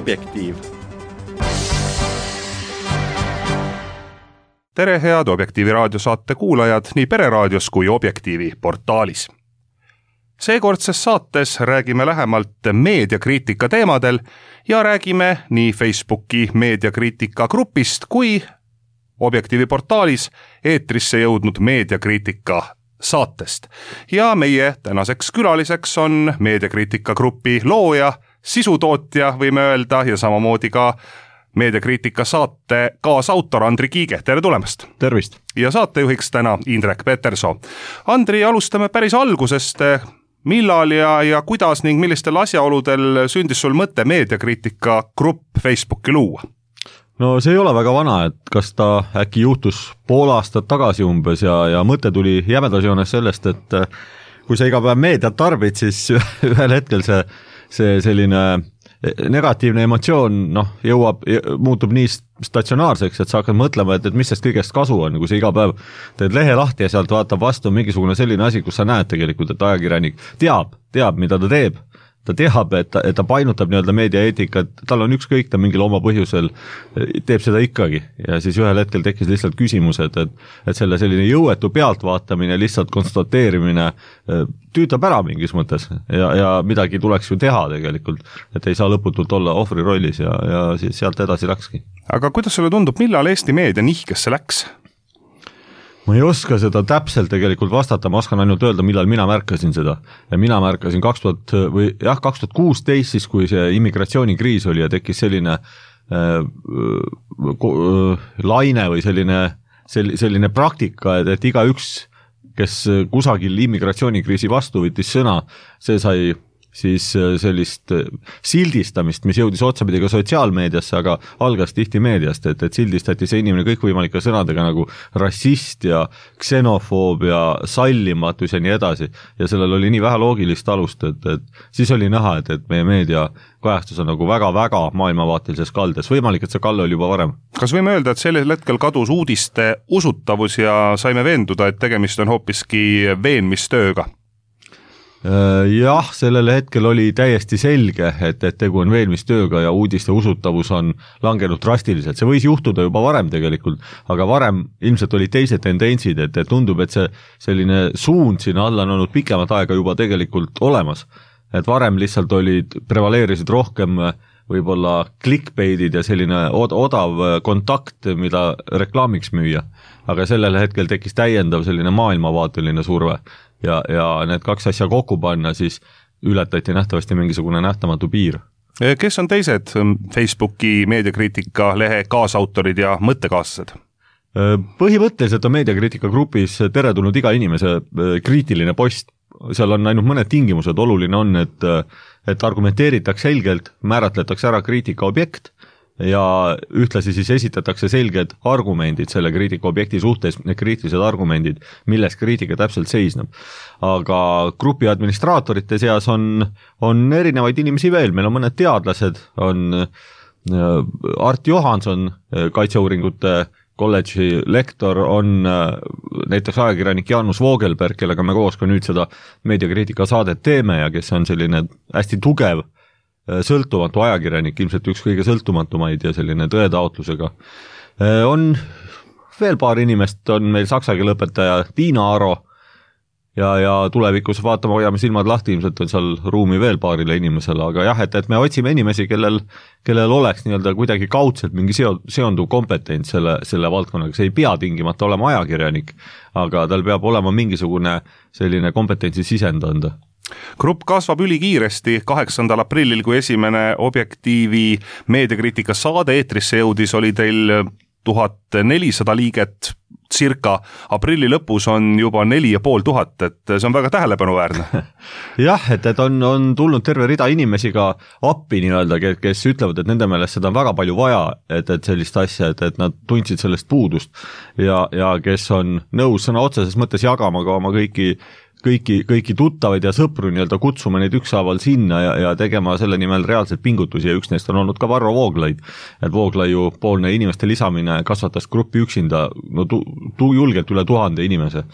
Objektiiv. Tere head Objektiivi raadiosaate kuulajad nii Pereraadios kui Objektiivi portaalis. Seekordses saates räägime lähemalt meediakriitika teemadel ja räägime nii Facebooki meediakriitika grupist kui Objektiivi portaalis eetrisse jõudnud meediakriitika saatest. Ja meie tänaseks külaliseks on meediakriitika grupi looja, sisutootja võime öelda ja samamoodi ka meediakriitika saate kaasautor Andri Kiige. Tere tulemast! Tervist! Ja saatejuhiks täna Indrek Peterson. Andri, alustame päris algusest. Millal ja kuidas ning millistel asjaoludel sündis sul mõte meediakriitika grupp Facebooki luua? No see ei ole väga vana, et kas ta äkki juhtus pool aastat tagasi umbes ja mõte tuli jämedas joones sellest, et kui sa iga päev meediat tarbid, siis ühel hetkel see selline negatiivne emotsioon muutub nii statsionaarseks, et sa hakkad mõtlema, et mis sest kõigest kasu on, kui sa iga päev teed lehe lahti ja sealt vaatab vastu mingisugune selline asi, kus sa näed tegelikult, et ajakirjanik teab, mida ta teeb. Ta teab, et ta painutab nii-öelda meediaeetikat, tal on ükskõik, ta mingil oma põhjusel teeb seda ikkagi. Ja siis ühel hetkel tekkis lihtsalt küsimused, et selle selline jõuetu pealtvaatamine, lihtsalt konstateerimine tüütab ära mingis mõttes ja midagi tuleks ju teha tegelikult, et ei saa lõputult olla ohvri rollis ja siis sealt edasi läkski. Aga kuidas sulle tundub, millal Eesti meedia nihkesse läks? Ma ei oska seda täpselt tegelikult vastata, ma oskan ainult öelda, millal mina märkasin seda. Ja mina märkasin 2016, siis kui see immigratsioonikriis oli ja tekkis selline laine või selline praktika, et igaüks, kes kusagil immigratsioonikriisi vastu võttis sõna, see sai siis sellist sildistamist, mis jõudis otsapidi ka sotsiaalmeediasse, aga algas tihti meediast, et sildistati see inimene kõikvõimalike sõnadega nagu rassist ja ksenofoob ja sallimatus ja nii edasi. Ja sellel oli nii vähe loogilist alust, et siis oli näha, et meie meedia kajastus on nagu väga-väga maailmavaatelises kaldes. Võimalik, et see kalle oli juba varem. Kas võime öelda, et sellel hetkel kadus uudiste usutavus ja saime veenduda, et tegemist on hoopiski veenmistööga? Jah, sellel hetkel oli täiesti selge, et tegu on veenmistööga ja uudiste usutavus on langenud drastiliselt. See võis juhtuda juba varem tegelikult, aga varem ilmselt oli teised tendentsid, et tundub, et see selline suund sinna alla on olnud pikemat aega juba tegelikult olemas. Et varem lihtsalt prevaleerisid rohkem võib-olla clickbaitid ja selline odav kontakt, mida reklaamiks müüa. Aga sellel hetkel tekkis täiendav selline maailmavaateline surve. Ja need kaks asja kokku panna, siis ületati nähtavasti mingisugune nähtamatu piir. Kes on teised Facebooki meediakriitika lehe kaasautorid ja mõttekaaslased? Põhimõtteliselt on meediakriitika grupis teretulnud iga inimese kriitiline post. Seal on ainult mõned tingimused. Oluline on, et argumenteeritakse selgelt, määratletakse ära kriitika objekt ja ühtlasi siis esitatakse selged argumendid selle kriitika objekti suhtes, need kriitilised argumendid, milles kriitika täpselt seisneb. Aga grupi administraatorite seas on erinevaid inimesi veel, meil on mõned teadlased, on Art Johanson, kaitseuuringute kolledži lektor, on näiteks ajakirjanik Jaanus Voogelberg, kellega me koos ka nüüd seda meediakriitika saadet teeme ja kes on selline hästi tugev sõltumatu ajakirjanik, ilmselt üks kõige sõltumatumaid ja selline tõetaotlusega. On veel paar inimest, on meil saksa keele õpetaja Tiina Aro ja tulevikus vaatame, hoiame silmad lahti, ilmselt on seal ruumi veel paarile inimesele, aga jah, et me otsime inimesi, kellel oleks nii-öelda kuidagi kaudselt mingi seonduv kompetents selle valdkonnaga, see ei pea tingimata olema ajakirjanik, aga tal peab olema mingisugune selline kompetentsi sisend anda. Grupp kasvab ülikiiresti. 8. aprillil, kui esimene Objektiivi meediakriitika saade eetrisse jõudis, oli teil 1400 liiget circa. Aprilli lõpus on juba 4500, et see on väga tähelepanuväärne. Jah, et on tulnud terve rida inimesi ka appi nii-öelda, kes ütlevad, et nende meelest seda on väga palju vaja, et sellist asja, et nad tundsid sellest puudust ja kes on nõus sõna otseses mõttes jagama ka oma kõiki tuttavaid ja sõpru nii-öelda kutsuma neid ükshaaval sinna ja tegema selle nimel reaalselt pingutusi ja üks neist on olnud ka Varro Vooglaid. Et Vooglaiu poolne inimeste lisamine kasvatas gruppi üksinda julgelt üle 1000 inimese.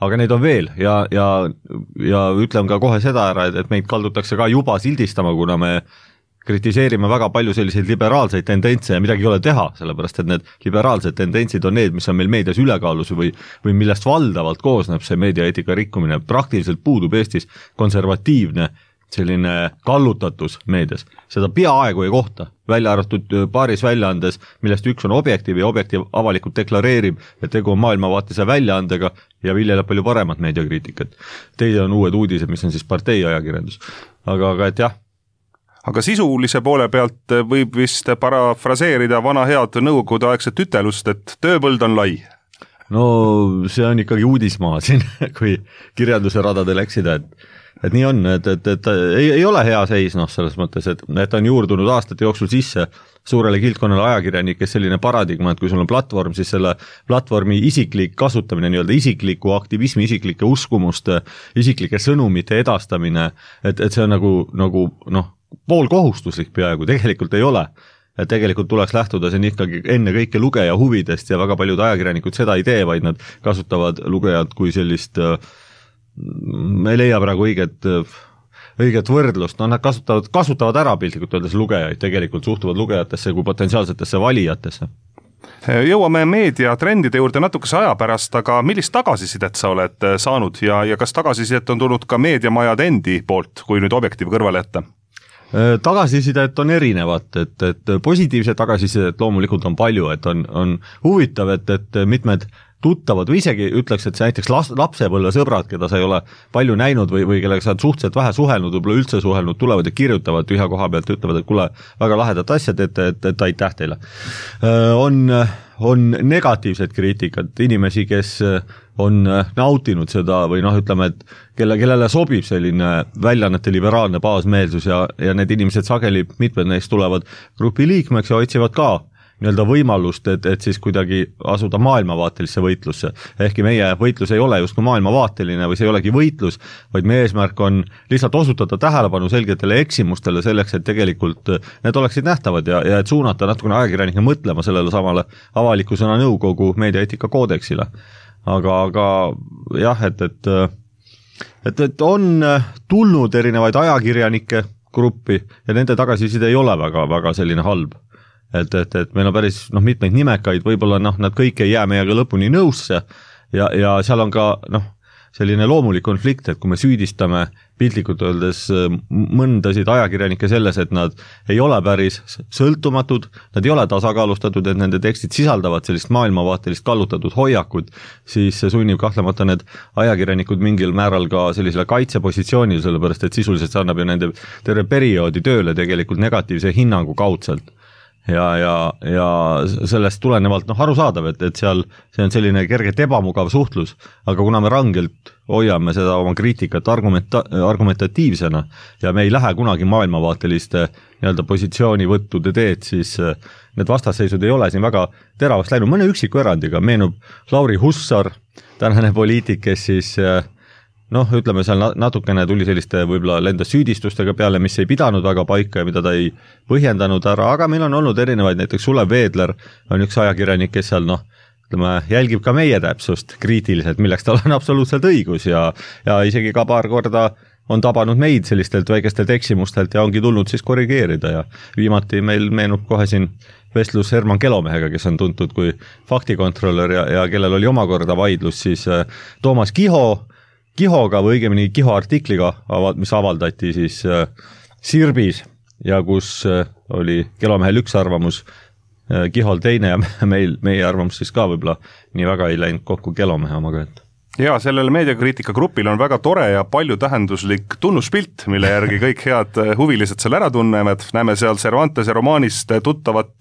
Aga neid on veel ja ütlen ka kohe seda ära, et meid kaldutakse ka juba sildistama, kuna me kritiseerime väga palju selliseid liberaalseid tendentse ja midagi ei ole teha, sellepärast et need liberaalsed tendentsid on need, mis on meil meedias ülekaalus või millest valdavalt koosneb see meediaeetika rikkumine. Praktiliselt puudub Eestis konservatiivne selline kallutatus meedias. Seda peaaegu ei kohta, välja arvatud paaris väljaandes, millest üks on Objektiiv ja Objektiiv avalikult deklareerib, et tegu on maailmavaatise väljaandega ja viljeleb palju paremat meediakriitikat. Teine on uued uudised, mis on siis partei ajakirjandus. Aga et jah. Aga sisulise poole pealt võib vist parafraseerida vana head nõukogude aegset ütelust, et tööpõld on lai. No see on ikkagi uudismaa siin, kui kirjanduse radadel eksida, et nii on, et ei ole hea seis, selles mõttes, et on juurdunud aastate jooksul sisse suurele kildkonnale ajakirjanikes selline paradigma, et kui sul on platvorm, siis selle platvormi isiklik kasutamine, nii-öelda isikliku aktivismi, isiklike uskumuste, isiklike sõnumite edastamine, et see on nagu pool kohustuslik peaaegu, tegelikult ei ole. Et tegelikult tuleks lähtuda siin ikkagi enne kõike lugeja huvidest ja väga paljud ajakirjanikud seda ei tee, vaid nad kasutavad lugejad kui sellist, me ei leia praegu õiget võrdlust, nad kasutavad ära piltlikult öeldes lugejaid, tegelikult suhtuvad lugejatesse kui potentsiaalsetesse valijatesse. Jõuame meediatrendide juurde natukese aja pärast, aga millist tagasisidet sa oled saanud ja kas tagasisidet on tulnud ka meediamajad endi poolt, kui nüüd Objektiiv kõrvale jätta? Tagasisidet on erinevat, et positiivset tagasisidet loomulikult on palju, et on huvitav, et mitmed tuttavad või isegi ütleks, et see näiteks lapsepõlve sõbrad, keda sa ei ole palju näinud või kellega sa oled suhteliselt vähe suhelnud, võib-olla üldse suhelnud, tulevad ja kirjutavad tühja koha pealt, ütlevad, et kuule, väga lahedad asjad, et aitäh teile. On negatiivsed kriitikat, inimesi, kes on nautinud seda või ütleme, et kellele sobib selline väljaannete liberaalne baasmeelsus ja need inimesed sageli, mitmed neist tulevad grupi liikmeks ja otsivad ka nii-öelda võimalust, et siis kuidagi asuda maailmavaatelisse võitlusse. Ehkki meie võitlus ei ole just maailmavaateline või see ei olegi võitlus, vaid meie eesmärk on lihtsalt osutada tähelepanu selgetele eksimustele selleks, et tegelikult need oleksid nähtavad ja et suunata natukene ajakirjanike mõtlema sellele samale avaliku sõna nõukogu meediaeetika koodeksile. Aga jah, et on tulnud erinevaid ajakirjanike gruppi ja nende tagasiside ei ole väga selline halb. Et meil on päris mitmeid nimekaid, võib-olla nad kõik ei jää meiega lõpuni nõusse ja seal on ka selline loomulik konflikt, et kui me süüdistame piltlikult öeldes mõndasid ajakirjanikke selles, et nad ei ole päris sõltumatud, nad ei ole tasakaalustatud, et nende tekstid sisaldavad sellist maailmavaatelist kallutatud hoiakut, siis see sunnib kahtlemata need ajakirjanikud mingil määral ka sellisele kaitsepositsioonil, sellepärast et sisuliselt see annab ju nende terve perioodi tööle tegelikult negatiivse hinnangu kaudselt. Ja sellest tulenevalt arusaadav, et seal see on selline kergelt ebamugav suhtlus, aga kuna me rangelt hoiame seda oma kriitikat argumentatiivsena ja me ei lähe kunagi maailmavaateliste nii-öelda positsioonivõttude teed, siis need vastasseisud ei ole siin väga teravaks läinud. Mõne üksiku erandiga meenub Lauri Hussar, tänane poliitik, kes siis ütleme seal natukene tuli selliste võib-olla lendas süüdistustega peale, mis ei pidanud väga paika ja mida ta ei põhjendanud ära, aga meil on olnud erinevaid, näiteks Sulev Veedler on üks ajakirjanik, kes seal jälgib ka meie täpsust kriitiliselt, milleks tal on absoluutselt õigus ja isegi ka paar korda on tabanud meid sellistelt väikestelt eksimustelt ja ongi tulnud siis korrigeerida ja viimati meil meenub kohe siin vestlus Herman Kelomehega, kes on tuntud kui faktikontrollör ja kellel oli omakorda vaidlus siis Toomas Kihoga või õigemini Kiho artikliga, mis avaldati siis Sirbis ja kus oli Kelomehel üks arvamus, Kihol teine ja meie arvamus siis ka võib-olla nii väga ei läinud kokku Kelomehe omaga. Ja sellel meediakriitika grupil on väga tore ja palju tähenduslik tunnuspilt, mille järgi kõik head huvilised seal ära tunnevad. Näeme seal Cervantese romaanist tuttavat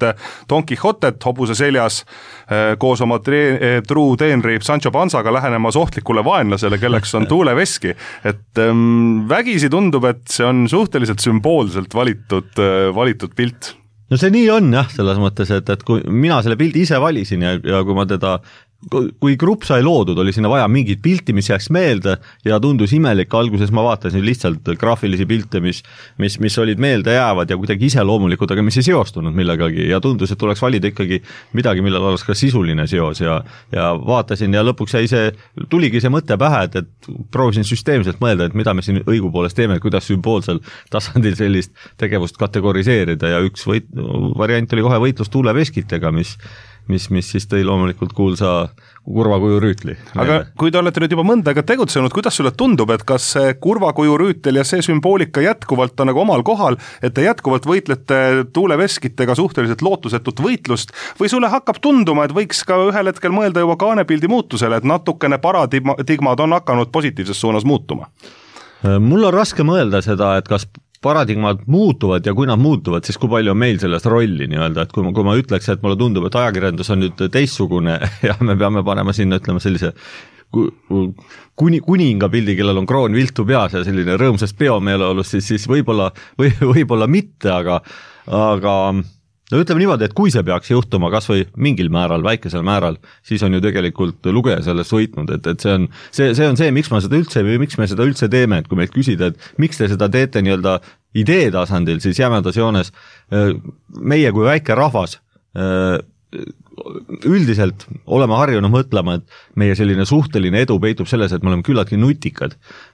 Don Quixotet hobuse seljas koos oma truu teenri Sancho Panzaga lähenemas ohtlikule vaenlasele, kelleks on tuuleveski. Et vägisi tundub, et see on suhteliselt sümboolselt valitud pilt. No see nii on jah, selles mõttes, et kui mina selle pildi ise valisin ja kui ma teda kui grupp sai loodud, oli sinna vaja mingit pilti, mis jääks meelde ja tundus imelik, alguses ma vaatasin lihtsalt graafilisi pilte, mis olid meelde jäävad ja kuidagi iseloomulikud, aga mis ei seostunud millegagi ja tundus, et tuleks valida ikkagi midagi, millel oleks ka sisuline seos ja vaatasin ja lõpuks tuligi see mõte pähe, et proovisin süsteemselt mõelda, et mida me siin õigupoolest teeme, kuidas sümboolsel tasandil sellist tegevust kategoriseerida ja üks variant oli kohe võitlus tuuleveskitega, mis siis tõi loomulikult kuulsa kurvakuju rüütli. Aga kui te olete nüüd juba mõnda aega tegutsenud, kuidas sulle tundub, et kas see kurvakuju rüütel ja see sümboolika jätkuvalt on nagu omal kohal, et te jätkuvalt võitlete tuuleveskitega suhteliselt lootusetut võitlust või sulle hakkab tunduma, et võiks ka ühel hetkel mõelda juba kaanepildi muutusele, et natukene paradigmad on hakanud positiivses suunas muutuma? Mul on raske mõelda seda, et kas paradigmad muutuvad ja kui nad muutuvad, siis kui palju on meil sellest rolli nii-öelda, et kui ma ütleks, et mulle tundub, et ajakirjandus on nüüd teistsugune ja me peame panema sinna, ütleme sellise kuninga pildi, kellel on kroon viltu peas ja selline rõõmsast peomeeleolus, siis võib-olla mitte, aga no ütleme niimoodi, et kui see peaks juhtuma kas või mingil määral, väikesel määral, siis on ju tegelikult lugeja sellest võitnud, et see on see, miks me seda üldse teeme, et kui meilt küsida, et miks te seda teete nii-öelda idee tasandil, siis jämedas joones meie kui väike rahvas üldiselt oleme harjunud mõtlema, et meie selline suhteline edu peitub selles, et me oleme küllaltki nutikad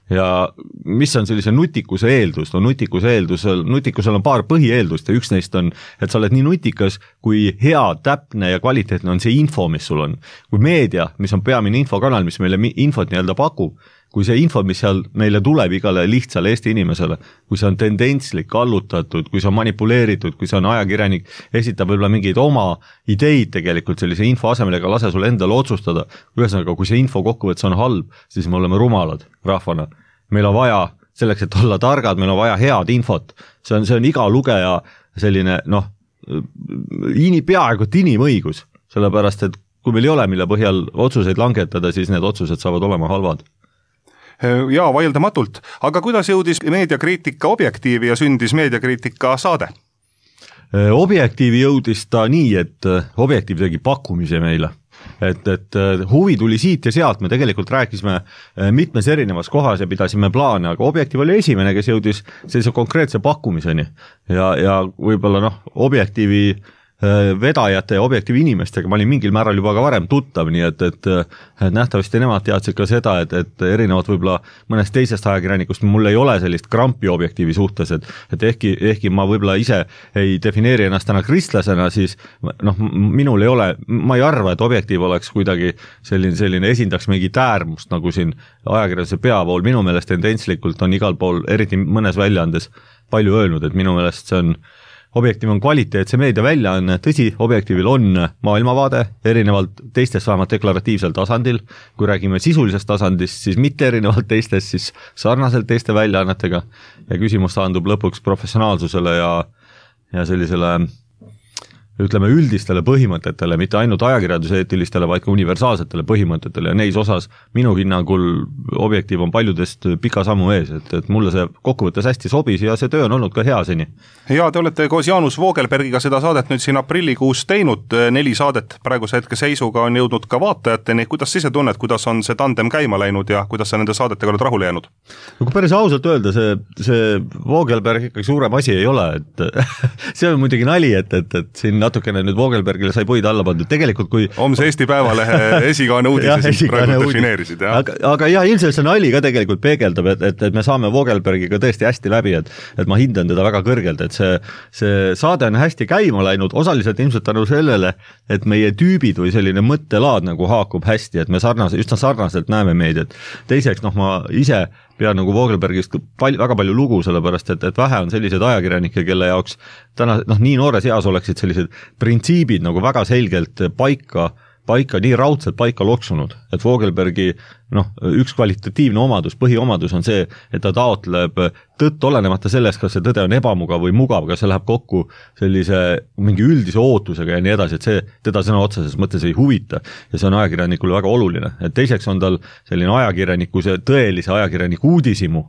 ja mis on sellise nutikuse eeldus? No nutikusel on paar põhieeldust ja üks neist on, et sa oled nii nutikas, kui hea, täpne ja kvaliteetne on see info, mis sul on. Kui meedia, mis on peamine infokanal, mis meile infot nii-öelda pakub, kui see info, mis seal meile tuleb igale lihtsale Eesti inimesele, kui see on tendentslik, allutatud, kui see on manipuleeritud, kui see on ajakirjanik, esitab võib-olla mingeid oma ideid tegelikult sellise info asemel ega lase sul endale otsustada. Ühesõnaga, kui see info kokkuvõttes on halb, siis me oleme rumalad rahvana. Meil on vaja selleks, et olla targad, meil on vaja head infot. See on iga lugeja selline, peaaegu inimõigus, sellepärast, et kui meil ei ole, mille põhjal otsuseid langetada, siis need otsused saavad olema halvad. Jaa, vaieldamatult. Aga kuidas jõudis meediakriitika Objektiivi ja sündis meediakriitika saade? Objektiivi jõudis ta nii, et Objektiiv tegi pakkumise meile. Et huvi tuli siit ja sealt, me tegelikult rääkisime mitmes erinevas kohas ja pidasime plaane, aga Objektiiv oli esimene, kes jõudis sellise konkreetse pakkumiseni ja võib-olla Objektiivi vedajate ja Objektiivi inimestega ma olin mingil määral juba ka varem tuttav, nii et nähtavasti nemad teadsid ka seda, et erinevalt võib-olla mõnest teisest ajakirjanikust mul ei ole sellist krampi Objektiivi suhtes, et ehkki ma võib-olla ise ei defineeri ennast täna kristlasena, siis minul ei ole, ma ei arva, et Objektiiv oleks kuidagi selline esindaks mingit äärmust, nagu siin ajakirjanduse peavool, minu meelest tendentslikult on igal pool, eriti mõnes väljaandes palju öelnud, et minu meelest see on Objektiiv on kvaliteetse meedia väljaanne, tõsi, Objektiivil on maailmavaade, erinevalt teistest vähemalt deklaratiivsel tasandil, kui räägime sisulisest tasandist, siis mitte erinevalt teistest, siis sarnaselt teiste väljaannetega ja küsimus taandub lõpuks professionaalsusele ja sellisele ütleme üldistele põhimõtetele, mitte ainult ajakirjanduseetilistele, vaid ka universaalsetele põhimõtetele ja neis osas minu hinnangul Objektiiv on paljudest pika sammu ees, et mulle see kokkuvõttes hästi sobis ja see töö on olnud ka hea seni. Ja te olete koos Jaanus Voogelbergiga seda saadet nüüd siin aprillikuus teinud, 4 saadet praeguse hetke seisuga on jõudnud ka vaatajateni, kuidas ise tunned, kuidas on see tandem käima läinud ja kuidas sa nende saadetega oled rahule jäänud? Kui päris ausalt öelda, see Voogelberg ikkagi suurem asi ei ole, et see on muidugi nali, et siin natukene nüüd Voogelbergile sai puid alla pandud, tegelikult kui homse Eesti Päevalehe esikaane uudise siis praegu defineerisid, jah? Aga jah, ilmselt see nali ka tegelikult peegeldab, et me saame Voogelbergiga tõesti hästi läbi, et ma hindan teda väga kõrgelt, et see saade on hästi käima läinud, osaliselt ilmselt tänu sellele, et meie tüübid või selline mõttelaad nagu haakub hästi, et me üsna sarnaselt näeme meediat. Teiseks, ma ise pean nagu Voogelbergist väga palju lugu, sellepärast et vähe on sellised ajakirjanikke, kelle jaoks täna nii noores eas oleksid sellised printsiibid nagu väga selgelt paika nii raudselt paika loksunud, et Voogelbergi üks kvalitatiivne omadus, põhiomadus on see, et ta taotleb tõtt olenemata sellest, kas see tõde on ebamugav või mugav, kas see läheb kokku sellise mingi üldise ootusega ja nii edasi, et see teda sõna otseses mõttes ei huvita ja see on ajakirjanikule väga oluline. Et teiseks on tal selline tõelise ajakirjaniku uudisimu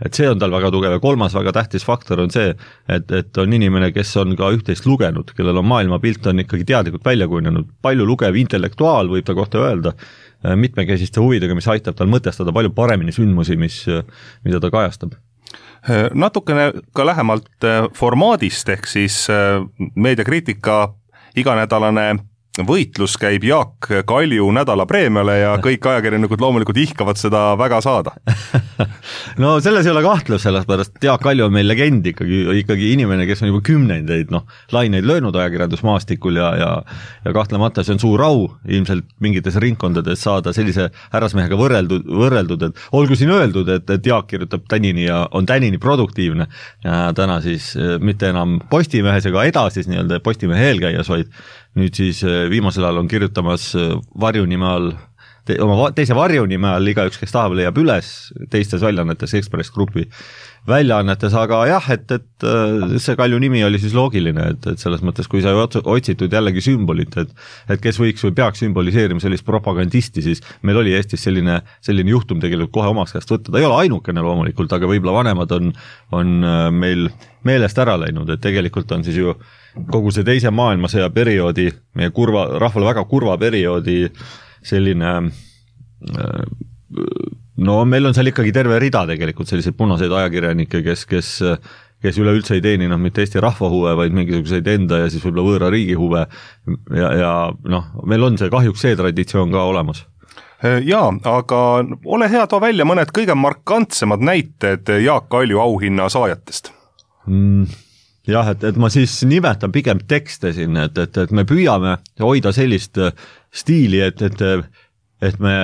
et see on tal väga tugev ja kolmas väga tähtis faktor on see, et on inimene, kes on ka üht-teist lugenud, kellel on maailmapilt on ikkagi teadlikult välja kujunenud, palju lugev intellektuaal võib ta kohta öelda, mitmekesiste huvidega, mis aitab tal mõtestada palju paremini sündmusi, mida ta kajastab. Natukene ka lähemalt formaadist, ehk siis meediakriitika iganädalane võitlus käib Jaak Kalju nädalapreemiale ja kõik ajakirjanikud loomulikult ihkavad seda väga saada. No selles ei ole kahtlus, sellepärast Jaak Kalju on meil legend ikkagi inimene, kes on juba kümnendeid laineid löönud ajakirjandusmaastikul ja kahtlemata see on suur au ilmselt mingites ringkondades saada sellise härrasmehega võrreldud, et olgu siin öeldud, et Jaak kirjutab tänini ja on tänini produktiivne ja täna siis mitte enam Postimehes ega edasi nii-öelda Postimehe eelkäijas, vaid nüüd siis viimasel ajal on kirjutamas varjunime all, oma teise varjunime all igaüks, kes tahab, leiab üles teistes väljaannetes, Ekspress Grupi väljaannetes, aga jah, et see Kalju nimi oli siis loogiline, et selles mõttes, kui sa otsitud jällegi sümbolit, et kes võiks või peaks sümboliseerima sellist propagandisti, siis meil oli Eestis selline juhtum tegelikult kohe omaks käest võtta, ta ei ole ainukene loomulikult, aga võib-olla vanemad on meil meelest ära läinud, et tegelikult on siis ju kogu see teise maailmasõja perioodi, meie rahvale väga kurva perioodi selline, no meil on seal ikkagi terve rida tegelikult selliseid punaseid ajakirjanikke, kes üleüldse ei teeni mitte Eesti rahva huve, vaid mingisuguseid enda ja siis võib-olla võõra riigi huve ja meil on see kahjuks see traditsioon ka olemas. Jaa, aga ole hea, too välja mõned kõige markantsemad näited Jaak Kalju auhinna saajatest. Jah, et ma siis nimetan pigem tekste siin, et me püüame hoida sellist stiili, et me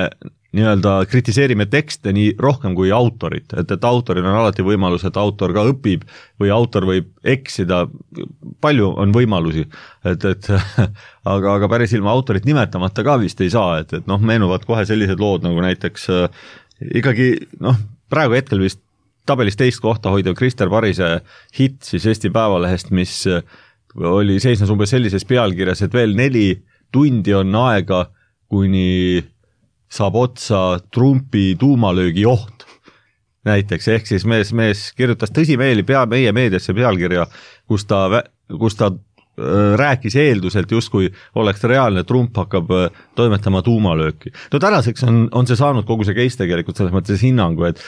nii-öelda kritiseerime tekste nii rohkem kui autorit, et autoril on alati võimalus, et autor ka õpib või autor võib eksida, palju on võimalusi, aga päris ilma autorit nimetamata ka vist ei saa, et meenuvad kohe sellised lood nagu näiteks ikkagi praegu hetkel vist tabelis teist kohta hoidev Krister Parise hitt siis Eesti Päevalehest, mis seisnes umbes sellises pealkirjas, et veel 4 tundi on aega, kuni saab otsa Trumpi tuumalöögi oht. Näiteks, ehk siis mees kirjutas tõsimeeli meie meediasse pealkirja, kus ta rääkis eelduselt justkui oleks reaalne, Trump hakkab toimetama tuumalööki. No tänaseks on see saanud kogu see case tegelikult selles mõttes hinnangu, et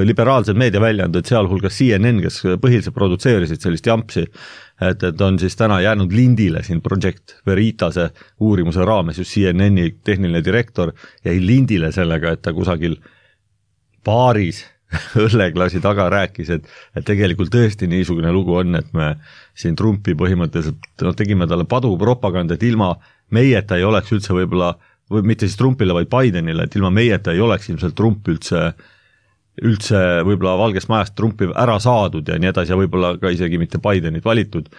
liberaalsed meediaväljaanded, sealhulgas CNN, kes põhiliselt produtseerisid sellist jampsi, et on siis täna jäänud lindile siin Project Veritase uurimuse raames, just CNN-i tehniline direktor jäi lindile sellega, et ta kusagil baaris õlleklaasi taga rääkis, et tegelikult tõesti niisugune lugu on, et me siin Trumpi põhimõtteliselt tegime talle padupropagandat, ilma meieta ei oleks üldse võib-olla, või mitte siis Trumpile, vaid Bidenile, et ilma meieta ei oleks ilmselt Trump üldse võib-olla Valgest majast Trumpi ära saadud ja nii edasi ja võib-olla ka isegi mitte Bidenit valitud.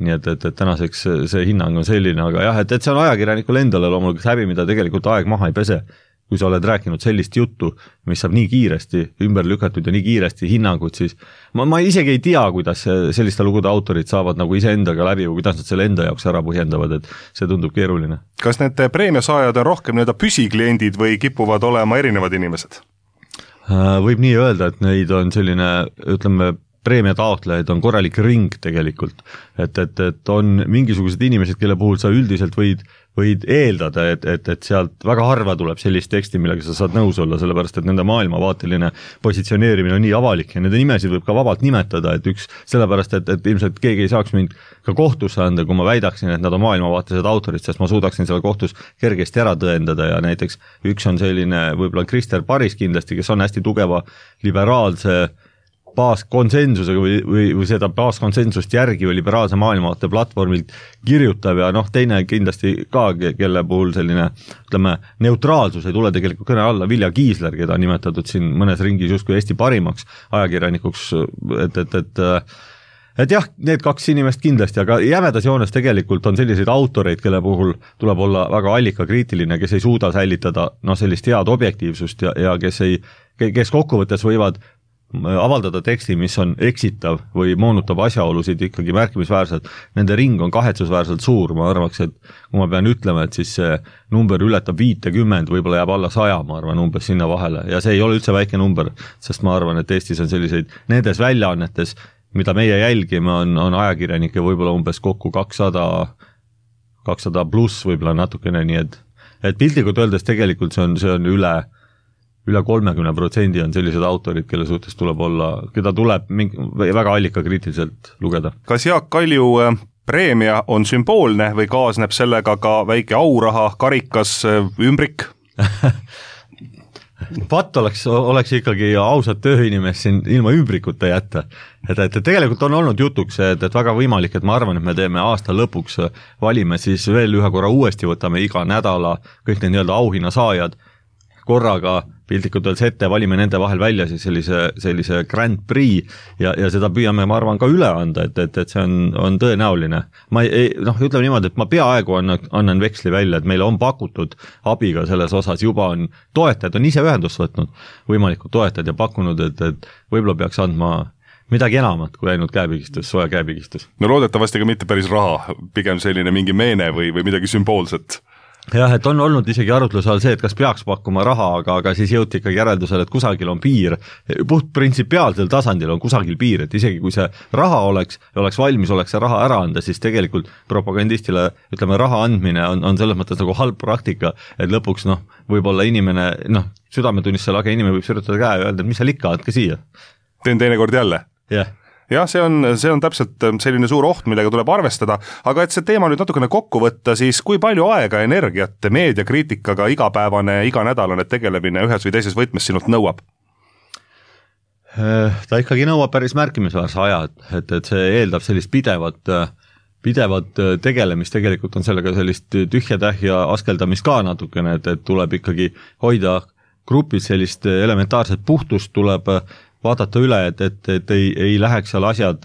Nii et tänaseks see hinnang on selline, aga jah, et see on ajakirjanikul endale loomulikult häbi, mida tegelikult aeg maha ei pese. Kui sa oled rääkinud sellist juttu, mis saab nii kiiresti ümber lükatud ja nii kiiresti hinnangud, siis ma isegi ei tea, kuidas selliste lugude autorid saavad nagu iseendaga läbi või kuidas nad selle enda jaoks ära põhjendavad, et see tundub keeruline. Kas need preemiasaajad on rohkem püsikliendid või kipuvad olema erinevad inimesed? Võib nii öelda, et neid on selline, ütleme, preemia taotlejaid on korralik ring tegelikult, et on mingisugused inimesed, kelle puhul sa üldiselt võid eeldada, et sealt väga harva tuleb sellist teksti, millega sa saad nõus olla, sellepärast et nende maailmavaateline positsioneerimine on nii avalik ja nende nimesid võib ka vabalt nimetada, et sellepärast, et ilmselt keegi ei saaks mind ka kohtusse anda, kui ma väidaksin, et nad on maailmavaatelised autorid, sest ma suudaksin selle kohtus kergesti ära tõendada ja näiteks üks on selline võib-olla Krister Paris kindlasti, kes on hästi tugeva liberaalse baaskonsensusega või seda baaskonsensust järgi või liberaalse maailmavaate platvormilt kirjutab ja teine kindlasti ka, kelle puhul selline, ütleme, neutraalsus ei tule tegelikult kõne alla, Vilja Kiisler, keda on nimetatud siin mõnes ringis justkui Eesti parimaks ajakirjanikuks, et jah, need 2 inimest kindlasti, aga jämedas joones tegelikult on selliseid autoreid, kelle puhul tuleb olla väga allikakriitiline, kes ei suuda säilitada sellist head objektiivsust ja kes kokkuvõttes võivad avaldada teksti, mis on eksitav või moonutab asjaolusid ikkagi märkimisväärselt, nende ring on kahetsusväärselt suur, ma arvaks, et kui ma pean ütlema, et siis see number ületab 50, võib-olla jääb alla 100, ma arvan, umbes sinna vahele ja see ei ole üldse väike number, sest ma arvan, et Eestis on selliseid, nendes väljaannetes, mida meie jälgime, on ajakirjanikke võib-olla umbes kokku 200 pluss võib-olla natukene, nii et piltlikult öeldes tegelikult see on üle 30% on sellised autorid, kelle suhtes tuleb olla, keda tuleb väga allikakriitiliselt lugeda. Kas Jaak Kalju preemia on sümboolne või kaasneb sellega ka väike auraha, karikas, ümbrik? Patt oleks ikkagi ausad tööinimest siin ilma ümbrikuta jätta. Et tegelikult on olnud jutuks, et väga võimalik, et ma arvan, et me teeme aasta lõpuks, valime siis veel ühe korra uuesti, võtame iga nädala kõik need nii-öelda auhinna saajad korraga piltlikult öeldes ette, valime nende vahel välja siis sellise Grand Prix ja seda püüame, ma arvan, ka üle anda, et see on tõenäoline. Ütleme niimoodi, et ma peaaegu annan veksli välja, et meile on pakutud abiga selles osas, juba on toetajad, on ise ühendust võtnud, võimalikud toetajad ja pakkunud, et võib-olla peaks andma midagi enamat kui ainult käepigistus, soja käepigistus. No loodetavasti ka mitte päris raha, pigem selline mingi meene või midagi sümboolset. Jah, et on olnud isegi arutluse all see, et kas peaks pakkuma raha, aga siis jõuti ikkagi järeldusele, et kusagil on piir, puht printsipiaalsel tasandil on kusagil piir, et isegi kui see raha oleks valmis, oleks see raha ära anda, siis tegelikult propagandistile, ütleme, raha andmine on selles mõttes nagu halb praktika, et lõpuks võib-olla inimene, südametunnisse lage inimene võib sürjutada käe ja öelda, et mis seal ikka, andke siia. Teen teinekord jälle. Jah. Jah, see on täpselt selline suur oht, millega tuleb arvestada, aga et see teema nüüd natukene kokku võtta, siis kui palju aega ja energiat meediakriitikaga igapäevane, iganädalane tegelemine ühes või teises võtmes sinult nõuab? Ta ikkagi nõuab päris märkimisväärse aja, et see eeldab sellist pidevat tegelemist, tegelikult on sellega sellist tühja-tähja askeldamist ka natukene, et tuleb ikkagi hoida grupis sellist elementaarset puhtust, tuleb vaadata üle, et ei läheks seal asjad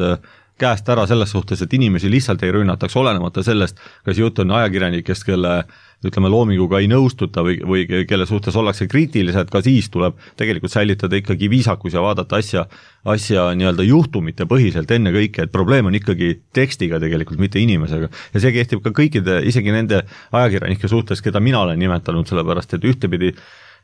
käest ära selles suhtes, et inimesi lihtsalt ei rünnataks, olenemata sellest, kas jutt on ajakirjanikest, kelle ütleme loominguga ei nõustuta või kelle suhtes ollakse kriitilised, ka siis tuleb tegelikult säilitada ikkagi viisakus ja vaadata asja nii-öelda juhtumite põhiselt enne kõike, et probleem on ikkagi tekstiga tegelikult, mitte inimesega. Ja see kehtib ka kõikide, isegi nende ajakirjanike suhtes, keda mina olen nimetanud, sellepärast et ühtepidi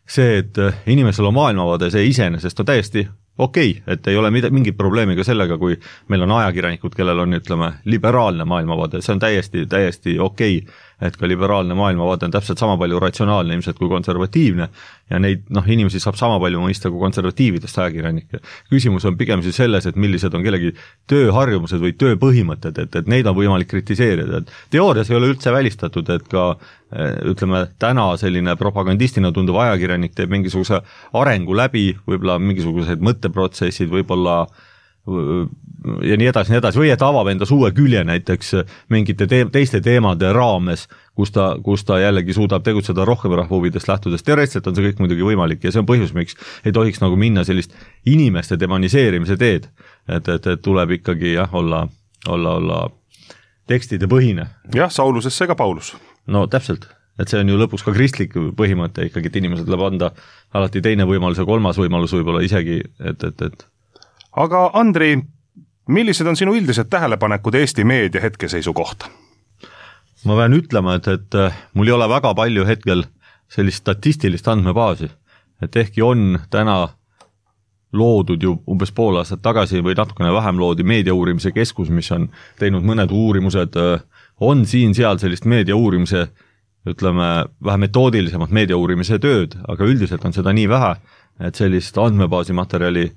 see, et inimesel on maailmavaade, see iseenesest on täiesti okei, et ei ole mingit probleemi ka sellega, kui meil on ajakirjanikud, kellel on, ütleme, liberaalne maailmavaade, see on täiesti okei, et ka liberaalne maailmavaade on täpselt sama palju ratsionaalne ilmselt kui konservatiivne ja neid inimesi saab sama palju mõista kui konservatiividest ajakirjanikke. Küsimus on pigem siis selles, et millised on kellegi tööharjumused või tööpõhimõtted, et neid on võimalik kritiseerida. Teoorias ei ole üldse välistatud, et ka ütleme, täna selline propagandistina tunduv ajakirjanik teeb mingisuguse arengu läbi, võib-olla mingisugused mõtteprotsessid, võib-olla ja nii edasi, või et avab endas uue külje näiteks mingite teiste teemade raames, kus ta jällegi suudab tegutseda rohkem rahva huvidest lähtudes. Teoreetselt on see kõik muidugi võimalik ja see on põhjus, miks ei tohiks nagu minna sellist inimeste demoniseerimise teed, et tuleb ikkagi olla tekstide põhine. Jah, Saulusesse ka Paulus. No täpselt, et see on ju lõpuks ka kristlik põhimõte ikkagi, et inimesed tuleb anda alati teine võimalus ja kolmas võimalus võib-olla isegi, et aga Andri, millised on sinu üldised tähelepanekud Eesti meedia hetkeseisu kohta? Ma pean ütlema, et mul ei ole väga palju hetkel sellist statistilist andmebaasi, et ehkki on täna loodud ju umbes pool aastat tagasi või natukene vähem loodi meediauurimise keskus, mis on teinud mõned uurimused, on siin-seal sellist meediauurimise, ütleme, vähe metoodilisemat meediauurimise tööd, aga üldiselt on seda nii vähe, et sellist andmebaasi materjali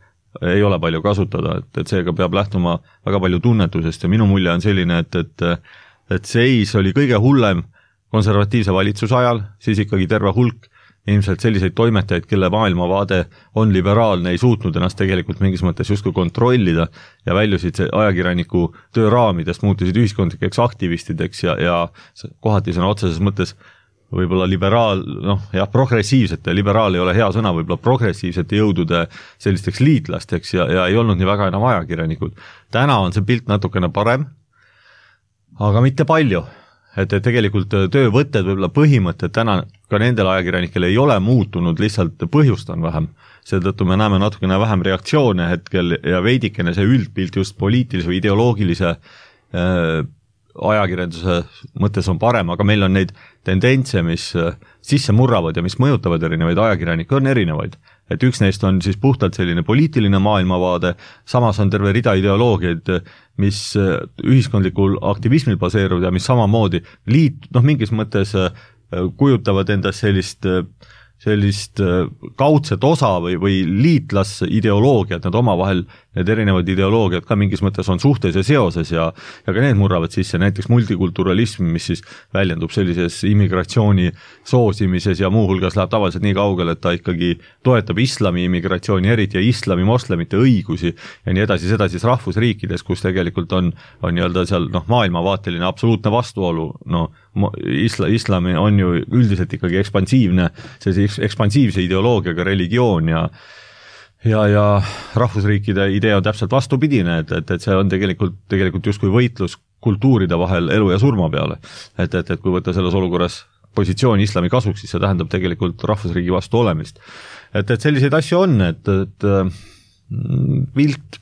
ei ole palju kasutada, et seega peab lähtuma väga palju tunnetusest ja minu mulje on selline, et seis oli kõige hullem konservatiivse valitsuse ajal, siis ikkagi terve hulk ilmselt selliseid toimetajaid, kelle maailmavaade on liberaalne, ei suutnud ennast tegelikult mingis mõttes justkui kontrollida ja väljusid ajakirjaniku tööraamidest, muutusid ühiskondlikeks aktivistideks ja kohati sõna otseses mõttes võib-olla progressiivsete, liberaal ei ole hea sõna, võib-olla progressiivsete jõudude sellisteks liitlasteks ja ei olnud nii väga enam ajakirjanikud. Täna on see pilt natukene parem, aga mitte palju. Et tegelikult töövõtted, võib-olla põhimõtted täna ka nendel ajakirjanikel ei ole muutunud, lihtsalt põhjust on vähem. Seetõttu me näeme natukene vähem reaktsioone hetkel ja veidikene see üldpilt just poliitilise või ideoloogilise ajakirjanduse mõttes on parem, aga meil on neid tendentse, mis sisse murravad ja mis mõjutavad erinevaid ajakirjanikke, on erinevaid. Et üks neist on siis puhtalt selline poliitiline maailmavaade, samas on terve rida ideoloogiaid, mis ühiskondlikul aktivismil baseeruvad ja mis samamoodi mingis mõttes kujutavad endast sellist kaudset osa või liitlasideoloogiat, nad omavahel, need erinevad ideoloogiad ka mingis mõttes on suhtes ja seoses ja ka need murravad sisse, näiteks multikulturalism, mis siis väljendub sellises immigratsiooni soosimises ja muuhulgas läheb tavaliselt nii kaugele, et ta ikkagi toetab islami immigratsiooni eriti ja islami moslemite õigusi ja nii edasi, seda siis rahvusriikides, kus tegelikult on nii-öelda seal maailmavaateline absoluutne vastuolu, islami on ju üldiselt ikkagi ekspansiivse ideoloogiaga religioon ja rahvusriikide idee on täpselt vastupidine, et see on tegelikult justkui võitlus kultuuride vahel elu ja surma peale. Et kui võtta selles olukorras positsiooni islami kasuks, siis see tähendab tegelikult rahvusriigi vastu olemist. Et selliseid asju on, et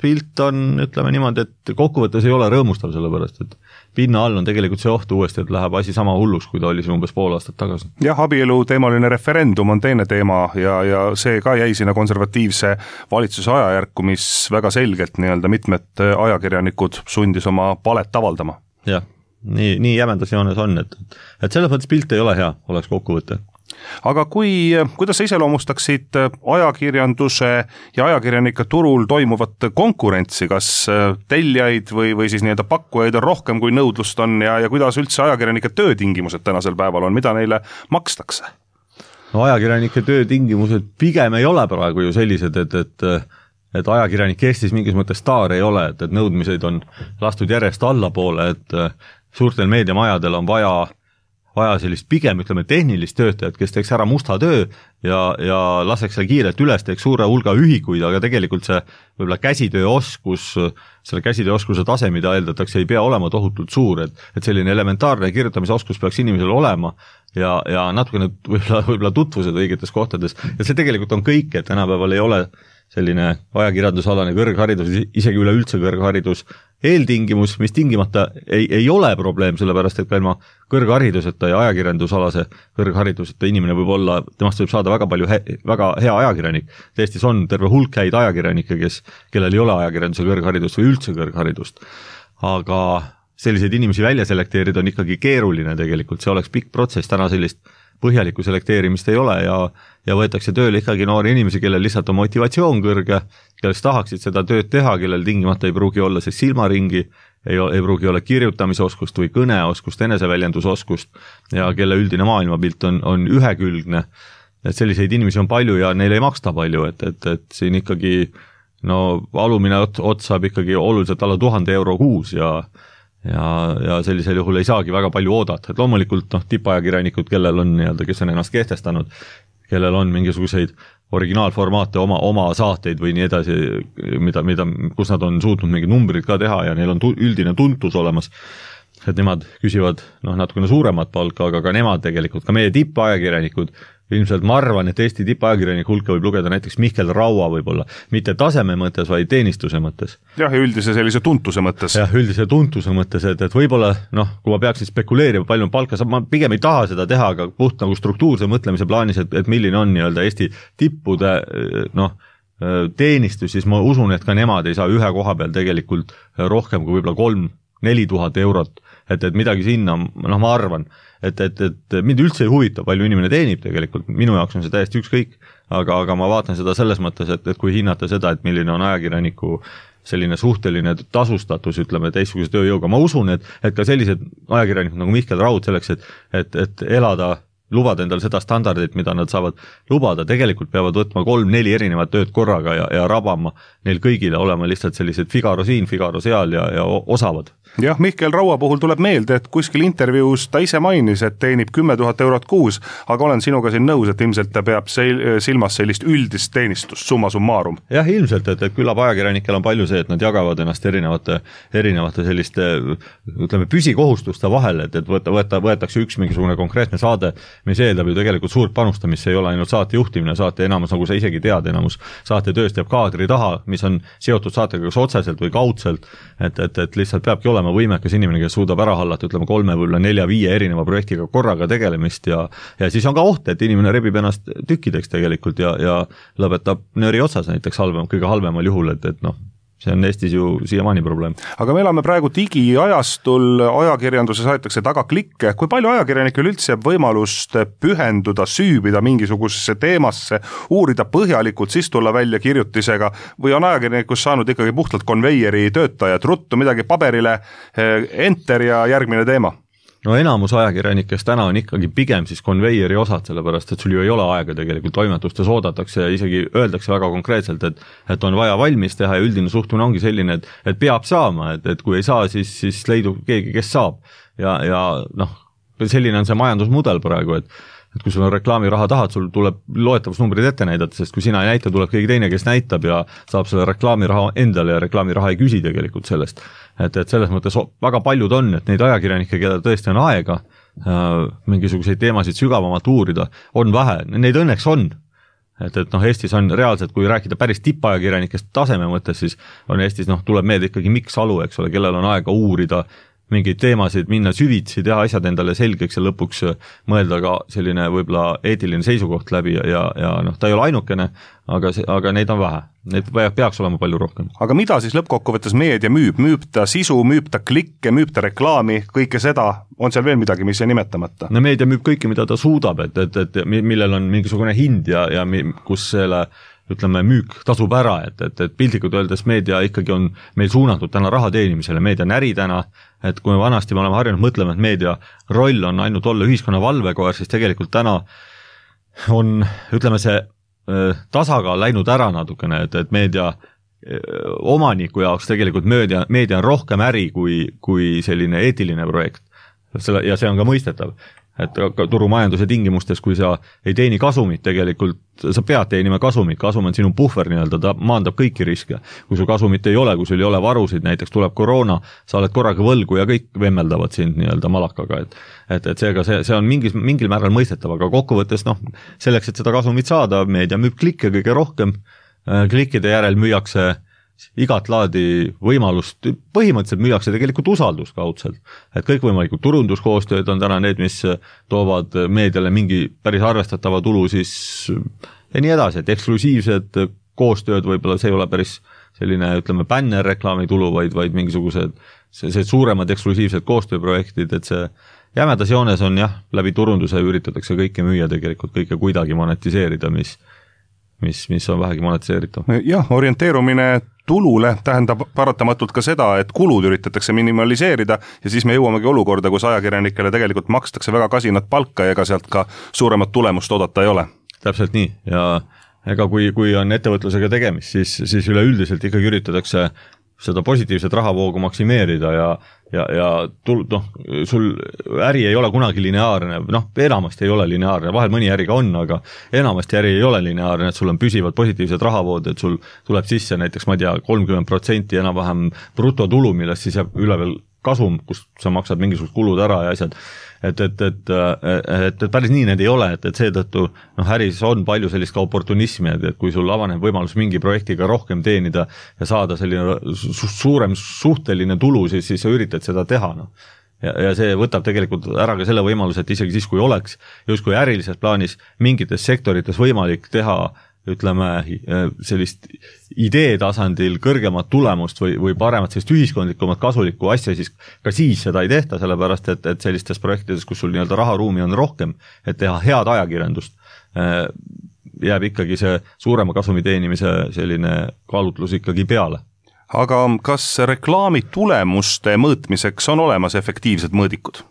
pilt on, ütleme niimoodi, et kokkuvõttes ei ole rõõmustav sellepärast, et pinna all on tegelikult see oht uuesti, et läheb asi sama hulluks, kui ta oli siin umbes pool aastat tagasi. Jah, abielu teemaline referendum on teine teema ja see ka jäi sinna konservatiivse valitsuse ajajärku, mis väga selgelt mitmed ajakirjanikud sundis oma palet avaldama. Jah, nii jämendas joones on, et selles mõttes pilt ei ole hea, oleks kokkuvõte. Aga kuidas sa iseloomustaksid ajakirjanduse ja ajakirjanike turul toimuvat konkurentsi, kas tellijaid või siis nii-öelda pakkujaid on rohkem kui nõudlust on ja kuidas üldse ajakirjanike töötingimused tänasel päeval on, mida neile makstakse? No ajakirjanike töötingimused pigem ei ole praegu ju sellised, et ajakirjanik Eestis mingis mõttes staar ei ole, et nõudmiseid on lastud järjest allapoole, et suurtel meediamajadel on vaja sellist pigem, ütleme, tehnilist töötajat, kes teeks ära musta töö ja laseks seal kiirelt üles, teeks suure hulga ühikuid, aga tegelikult see võib-olla käsitööoskus, selle käsitööoskuse tase, mida eeldatakse, ei pea olema tohutult suur, et selline elementaarne kirjutamisoskus peaks inimesel olema ja natukene võib-olla tutvused õigetes kohtades, et see tegelikult on kõik, et tänapäeval ei ole selline ajakirjandusalane kõrgharidus, isegi üleüldse kõrgharidus eeltingimus, mis tingimata ei ole probleem, sellepärast et ka ilma kõrghariduseta ja ajakirjandusalase kõrghariduseta inimene võib olla, temast võib saada väga hea ajakirjanik. Eestis on terve hulk häid ajakirjanikke, kellel ei ole ajakirjanduse kõrgharidust või üldse kõrgharidust. Aga selliseid inimesi välja selekteerida on ikkagi keeruline tegelikult, see oleks pikk protsess, täna sellist põhjalikku selekteerimist ei ole ja võetakse tööle ikkagi noori inimesi, kellel lihtsalt on motivatsioon kõrge, kellest tahaksid seda tööd teha, kellel tingimata ei pruugi olla see silmaringi, ei pruugi olla kirjutamisoskust või kõneoskust, eneseväljendusoskust ja kelle üldine maailmapilt on ühekülgne. Et selliseid inimesi on palju ja neile ei maksta palju, et siin ikkagi alumine ots saab ikkagi oluliselt alla 1000 euro kuus ja sellisel juhul ei saagi väga palju oodata, et loomulikult tippajakirjanikud, kellel on kes on ennast kehtestanud, kellel on mingisuguseid originaalformaate, oma saateid või nii edasi, kus nad on suutnud mingid numbrid ka teha ja neil on üldine tuntus olemas, et nemad küsivad natukene suuremat palka, aga ka nemad tegelikult, ka meie tippajakirjanikud, ilmselt ma arvan, et Eesti tippajakirjaniku hulka võib lugeda näiteks Mihkel Raua võib-olla, mitte taseme mõttes, vaid teenistuse mõttes. Jah, ja üldise sellise tuntuse mõttes. Jah, üldise tuntuse mõttes, et võib-olla, kui ma peaksin spekuleerima, palju on palka, ma pigem ei taha seda teha, aga puht nagu struktuurse mõtlemise plaanis, et milline on Eesti tippude teenistus, siis ma usun, et ka nemad ei saa ühe koha peal tegelikult rohkem kui võib-olla 3-4 tuhat eurot, et midagi sinna, ma arvan, et mind üldse ei huvita, palju inimene teenib tegelikult, minu jaoks on see täiesti ükskõik, aga ma vaatan seda selles mõttes, et kui hinnata seda, et milline on ajakirjaniku selline suhteline tasustatus, ütleme, teistsuguse tööjõuga, ma usun, et ka sellised ajakirjanikud nagu Mihkel Raud selleks, et elada, lubada endale seda standardit, mida nad saavad lubada, tegelikult peavad võtma 3-4 erinevat tööd korraga ja rabama neil kõigile olema lihtsalt sellised Figaro siin, Figaro seal ja osavad. Jah, Mihkel Raua puhul tuleb meelde, et kuskil intervjuus ta ise mainis, et teenib 10 000 eurot kuus, aga olen sinuga siin nõus, et ilmselt ta peab silmas sellist üldist teenistust, summa summarum. Jah, ilmselt, et küllap ajakirjanikel on palju see, et nad jagavad ennast erinevate selliste, ütleme, püsikohustuste vahel, et võetakse üks mingisugune konkreetne saade mis eeldab ju tegelikult suurt panustamist, see ei ole ainult saate juhtimine, saate enamus, nagu sa isegi tead, enamus saate tööst jääb kaadri taha, mis on seotud saatega kas otseselt või kaudselt, et lihtsalt peabki olema võimekas inimene, kes suudab ära hallata, ütleme 3 või 4-5 erineva projektiga korraga tegelemist ja siis on ka oht, et inimene rebib ennast tükkideks tegelikult ja lõpetab nööri otsas näiteks kõige halvemal juhul, et noh, see on Eestis ju siiamaani probleem. Aga me elame praegu digiajastul, ajakirjanduses aetakse taga klikke, kui palju ajakirjanikel üldse jääb võimalust pühenduda, süübida mingisugusesse teemasse, uurida põhjalikult, siis tulla välja kirjutisega või on ajakirjanikus saanud ikkagi puhtalt konveieri töötajad, ruttu midagi paberile, enter ja järgmine teema? No enamus ajakirjanikest täna on ikkagi pigem siis konveieri osad, sellepärast et sul ju ei ole aega tegelikult toimetustes oodatakse ja isegi öeldakse väga konkreetselt, et on vaja valmis teha ja üldine suhtumine ongi selline, et peab saama, et kui ei saa, siis leidub keegi, kes saab ja noh, selline on see majandusmudel praegu, et kui sul on reklaamiraha tahad, sul tuleb loetavusnumbrid ette näidata, sest kui sina ei näita, tuleb keegi teine, kes näitab ja saab selle reklaamiraha endale ja reklaamiraha ei küsi tegelikult sellest. Et selles mõttes väga paljud on, et neid ajakirjanikke, keda tõesti on aega mingisuguseid teemasid sügavamalt uurida, on vähe, neid õnneks on. Et noh, Eestis on reaalselt, kui rääkida päris tippajakirjanikest taseme mõttes, siis on Eestis, noh, tuleb meelde ikkagi Mikk Salu, eks ole, kellel on aega uurida mingeid teemasid, minna süvitsi, teha asjad endale selgeks ja lõpuks mõelda ka selline võib-olla eetiline seisukoht läbi ja noh, ta ei ole ainukene, aga neid on vähe. Neid peaks olema palju rohkem. Aga mida siis lõppkokkuvõttes meedia müüb? Müüb ta sisu, müüb ta klikke, müüb ta reklaami, kõike seda, on seal veel midagi, mis ei nimetamata? No meedia müüb kõike, mida ta suudab, et millel on mingisugune hind ja kus selle ütleme, müük tasub ära, et piltlikult öeldes meedia ikkagi on meil suunatud täna raha teenimisele, meedia on äri täna, et kui me vanasti me oleme harjunud mõtlema, et meedia roll on ainult olla ühiskonna valvekoer, siis tegelikult täna on, ütleme, see tasakaal läinud ära natukene, et meedia omaniku jaoks tegelikult meedia on rohkem äri kui selline eetiline projekt. Ja see on ka mõistetav. Et turumajanduse tingimustes, kui sa ei teeni kasumit tegelikult, sa pead teenima kasumit, kasum on sinu puhver nii-öelda, ta maandab kõiki riske. Kui sul kasumit ei ole, kui sul ei ole varusid, näiteks tuleb koroona, sa oled korraga võlgu ja kõik vemmeldavad sind nii-öelda malakaga, et seega see on mingil määral mõistetav, aga kokkuvõttes noh, selleks, et seda kasumit saada, meedia müüb klikke kõige rohkem, klikkide järel müüakse igat laadi võimalust, põhimõtteliselt müüakse tegelikult usaldust kaudselt, et kõikvõimalikud turunduskoostööd on täna need, mis toovad meediale mingi päris arvestatava tulu siis ja nii edasi, et eksklusiivsed koostööd võib-olla see ei ole päris selline, ütleme, bännerreklaami tulu, vaid mingisugused suuremad eksklusiivsed koostööprojektid, et see jämedas joones on jah, läbi turunduse üritatakse kõike müüa tegelikult, kõike kuidagi monetiseerida, mis on vähegi monetiseeritav. Jah, orienteerumine tulule tähendab paratamatult ka seda, et kulud üritatakse minimaliseerida ja siis me jõuamegi olukorda, kus ajakirjanikele tegelikult makstakse väga kasinat palka ja ega sealt ka suuremat tulemust oodata ei ole. Täpselt nii ja ega kui on ettevõtlusega tegemist, siis üleüldiselt ikkagi üritatakse seda positiivset rahavoogu maksimeerida ja sul äri ei ole kunagi lineaarne, enamasti ei ole lineaarne, vahel mõni äri ka on, aga enamasti äri ei ole lineaarne, et sul on püsivad positiivsed rahavood, et sul tuleb sisse näiteks, ma ei tea, 30% enam-vähem brutotulu, millest siis jääb üle veel kasum, kus sa maksad mingisugused kulud ära ja asjad, et päris nii need ei ole, et seetõttu äris on palju sellist ka oportunismi, et kui sul avaneb võimalus mingi projektiga rohkem teenida ja saada selline suurem suhteline tulu, siis sa üritad seda teha. Ja see võtab tegelikult ära ka selle võimaluse, et isegi siis, kui oleks justkui ärilises plaanis mingites sektorites võimalik teha ütleme, sellist idee tasandil kõrgemat tulemust või paremat sellist ühiskondlikumat kasulikku asja, siis ka siis seda ei tehta, sellepärast et sellistes projektides, kus sul nii-öelda raharuumi on rohkem, et teha head ajakirjandust, jääb ikkagi see suurema kasumi teenimise selline kaalutlus ikkagi peale. Aga kas reklaami tulemuste mõõtmiseks on olemas efektiivsed mõõdikud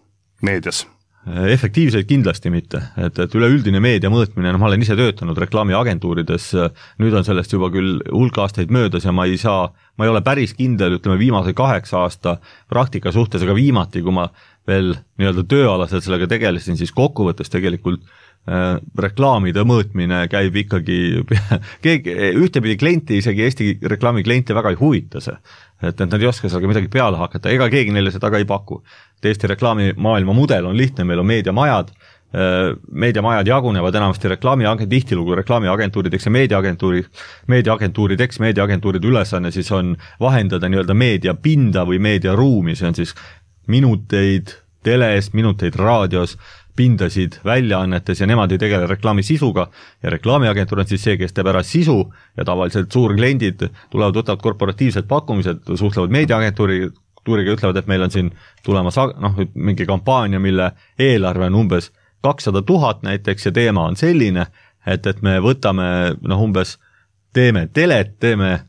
meedias? Efektiivseid kindlasti mitte, et üleüldine meedia mõõtmine, ma olen ise töötanud reklaamiagentuurides, nüüd on sellest juba küll hulk aastaid möödas ja ma ei ole päris kindel, ütleme viimase 8 aasta praktika suhtes, aga viimati, kui ma veel nii-öelda tööalaselt sellega tegelesin, siis kokkuvõttes tegelikult reklaamide mõõtmine käib ikkagi ühtepidi klienti, isegi Eesti reklaami kliente väga ei huvita see, et nad ei oska sellega midagi peale hakata, ega keegi neile seda ka ei paku. Eesti reklaamimaailma mudel on lihtne, meil on meediamajad, meediamajad jagunevad enamasti tihtilugu reklaamiagentuurideks ja meediaagentuuride ülesanne siis on vahendada nii-öelda meediapinda või meediaruumi, see on siis minuteid teles, minuteid raadios, pindasid väljaannetes ja nemad ei tegele reklaami sisuga ja reklaamiagentuur on siis see, kes teeb ära sisu ja tavaliselt suurkliendid tulevad, võtavad korporatiivsed pakkumised, suhtlevad meediaagentuuriga, ütlevad, et meil on siin tulemas mingi kampaania, mille eelarve on umbes 200 000 näiteks ja teema on selline, et me võtame umbes, teeme telet, teeme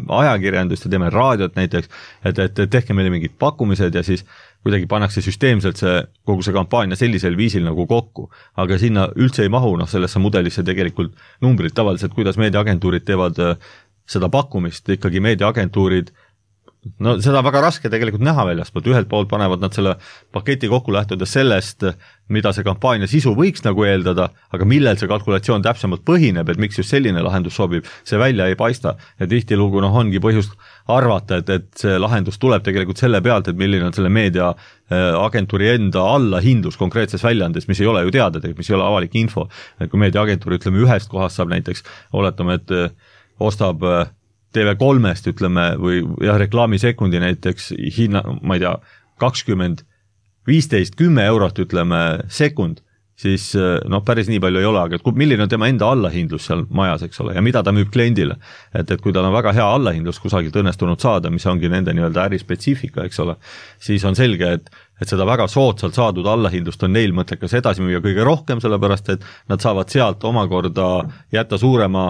ajakirjandust ja teeme raadiot näiteks, et tehke meile mingid pakkumised ja siis kuidagi pannakse süsteemselt kogu see kampaania sellisel viisil nagu kokku, aga sinna üldse ei mahu sellesse mudelisse tegelikult numbrid tavaliselt, kuidas meediaagentuurid teevad seda pakkumist, ikkagi meediaagentuurid, seda väga raske tegelikult näha väljaspoolt, ühelt poolt panevad nad selle paketi kokku lähtudes sellest, mida see kampaania sisu võiks nagu eeldada, aga millel see kalkulatsioon täpsemalt põhineb, et miks just selline lahendus sobib, see välja ei paista ja tihtilugu ongi põhjust arvata, et see lahendus tuleb tegelikult selle pealt, et milline on selle meediaagentuuri enda allahindlus konkreetses väljaandes, mis ei ole ju teada, mis ei ole avalik info, et kui meediaagentuur ühest kohast saab näiteks, oletame, et ostab TV3-st või reklaamisekundi näiteks hinna, ma ei tea, 20, 15, 10 eurot sekund, siis päris nii palju ei ole, aga milline on tema enda allahindlus seal majas, eks ole, ja mida ta müüb kliendile. Et kui tal on väga hea allahindlus kusagilt õnnestunud saada, mis ongi nende nii-öelda ärispetsiifika, eks ole, siis on selge, et seda väga soodsalt saadud allahindlust on neil mõttekas edasi müüa kõige rohkem, sellepärast et nad saavad sealt omakorda jätta suurema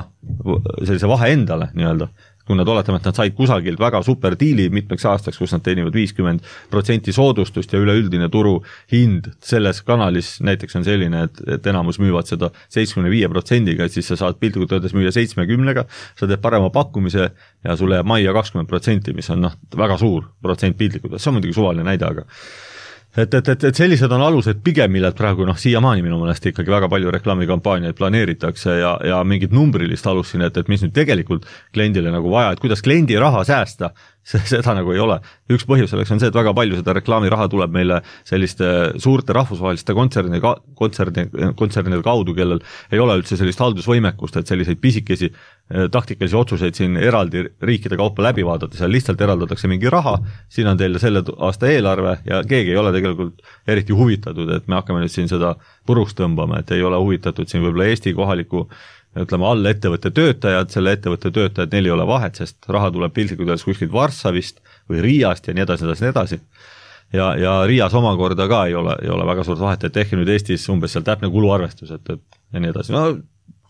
sellise vahe endale nii-öelda. Kui nad oletame, et nad said kusagilt väga super diili mitmeks aastaks, kus nad teenivad 50% soodustust ja üleüldine turu hind selles kanalis näiteks on selline, et enamus müüvad seda 75%-ga, et siis sa saad piltlikult öeldes müüa 70%-ga, sa teed parema pakkumise ja sulle jääb majja 20%, mis on väga suur protsent piltlikult, see on muidugi suvaline näide, aga et sellised on alused pigem, millelt praegu siiamaani minu mõnest ikkagi väga palju reklaamikampaaniaid planeeritakse ja mingit numbrilist alust siin, et mis nüüd tegelikult kliendile nagu vaja, et kuidas kliendi raha säästa, seda nagu ei ole. Üks põhjus selleks on see, et väga palju seda reklaamiraha tuleb meile selliste suurte rahvusvaheliste kontsernide kaudu, kellel ei ole üldse sellist haldusvõimekust, et selliseid pisikesi taktikalisi otsuseid siin eraldi riikide kaupa läbi vaadata, seal lihtsalt eraldatakse mingi raha, siin on teile selle aasta eelarve ja keegi ei ole tegelikult eriti huvitatud, et me hakkame nüüd siin seda puruks tõmbama, et ei ole huvitatud siin võib-olla Eesti kohaliku all ettevõtte töötajad, selle ettevõtte töötajad, neil ei ole vahet, sest raha tuleb piltlikult öeldes kuskilt Varssavist või Riiast ja nii edasi. Ja Riias omakorda ka ei ole väga suurt vahet, et ehk nüüd Eestis umbes seal täpne kuluarvestus, et ja nii edasi.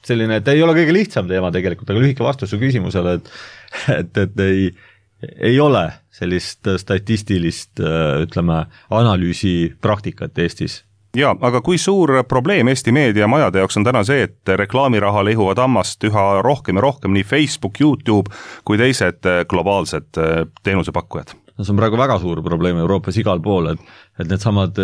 Selline, et ei ole kõige lihtsam teema tegelikult, aga lühike vastus su küsimusele, et ei ole sellist statistilist, analüüsi praktikat Eestis. Ja, aga kui suur probleem Eesti meediamajade jaoks on täna see, et reklaamiraha lõhuvad ammast üha rohkem ja rohkem nii Facebook, YouTube kui teised globaalsed teenusepakkujad? See on praegu väga suur probleem Euroopas igal pool, et need samad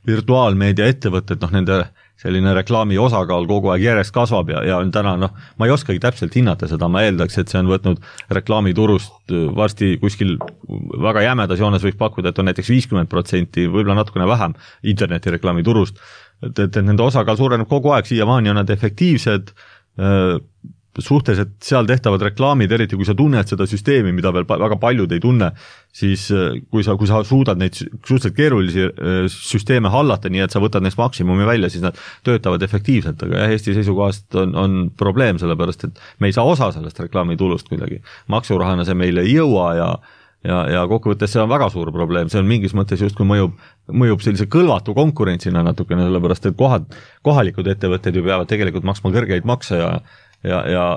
virtuaalmeedia ettevõtted, nende selline reklaami osakaal kogu aeg järjest kasvab ja on täna, ma ei oskagi täpselt hinnata seda, ma eeldaks, et see on võtnud reklaamiturust varsti kuskil väga jämedas joones võiks pakkuda, et on näiteks 50%, võib-olla natukene vähem internetireklaamiturust, et nende osakaal suureneb kogu aeg, siiamaani on nad efektiivsed, suhteliselt seal tehtavad reklaamid, eriti kui sa tunned seda süsteemi, mida veel väga paljud ei tunne, siis kui sa suudad neid suhteliselt keerulisi süsteeme hallata, nii et sa võtad neist maksimumi välja, siis nad töötavad efektiivselt, aga Eesti seisukohast on probleem, sellepärast et me ei saa osa sellest reklaamitulust kuidagi. Maksurahana see meile ei jõua ja kokkuvõttes see on väga suur probleem, see on mingis mõttes just kui mõjub sellise kõlvatu konkurentsina natukene, sellepärast et kohalikud ettevõtted ju peavad tegelikult maksma kõrgeid makse ja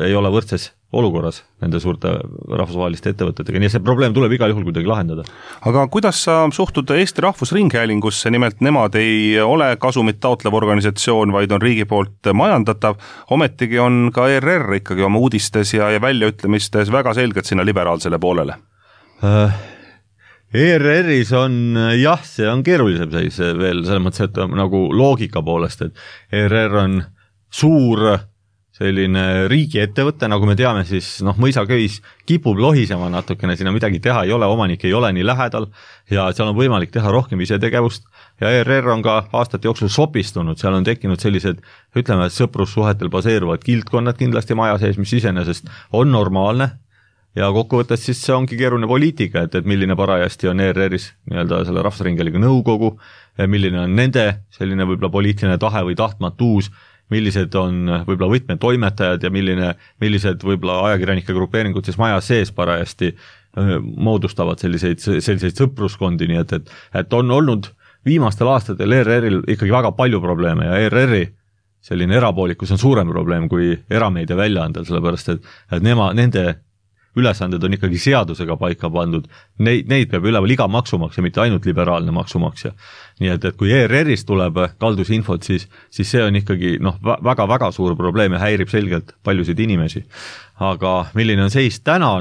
ei ole võrdses olukorras nende suurte rahvusvaheliste ettevõtetega, nii see probleem tuleb igal juhul kuidagi lahendada. Aga kuidas sa suhtud Eesti Rahvusringhäälingusse, nimelt nemad ei ole kasumit taotlev organisatsioon, vaid on riigi poolt majandatav, ometigi on ka ERR ikkagi oma uudistes ja väljaütlemistes väga selgelt sinna liberaalsele poolele? ERR-is on, see on keerulisem seis veel selles mõttes, et nagu loogika poolest, et ERR on suur selline riigiettevõte, nagu me teame, siis mõisaköis kipub lohisema natukene, sinna midagi teha ei ole, omanik ei ole nii lähedal ja seal on võimalik teha rohkem isetegevust ja ERR on ka aastate jooksul sopistunud, seal on tekkinud sellised, ütleme, sõprussuhetel baseeruvad kildkonnad kindlasti maja sees, mis iseenesest on normaalne ja kokkuvõttes siis see ongi keeruline poliitika, et milline parajasti on ERR-is nii-öelda selle Rahvusringhäälingu nõukogu, milline on nende selline võib-olla poliitiline tahe või tahtmatuus, millised on võib-olla võtmetoimetajad ja millised võib-olla ajakirjanike grupeeringud siis maja sees parajasti moodustavad selliseid sõpruskondi, nii et on olnud viimastel aastatel ERR-il ikkagi väga palju probleeme ja ERR-i selline erapoolikus on suurem probleem kui erameedia väljaandel, sellepärast et nende ülesanded on ikkagi seadusega paika pandud, neid peab üleval iga maksumaksja, mitte ainult liberaalne maksumaksja. Nii et kui ERR-ist tuleb kaldusinfot, siis see on ikkagi väga-väga suur probleem ja häirib selgelt paljusid inimesi. Aga milline on seis täna?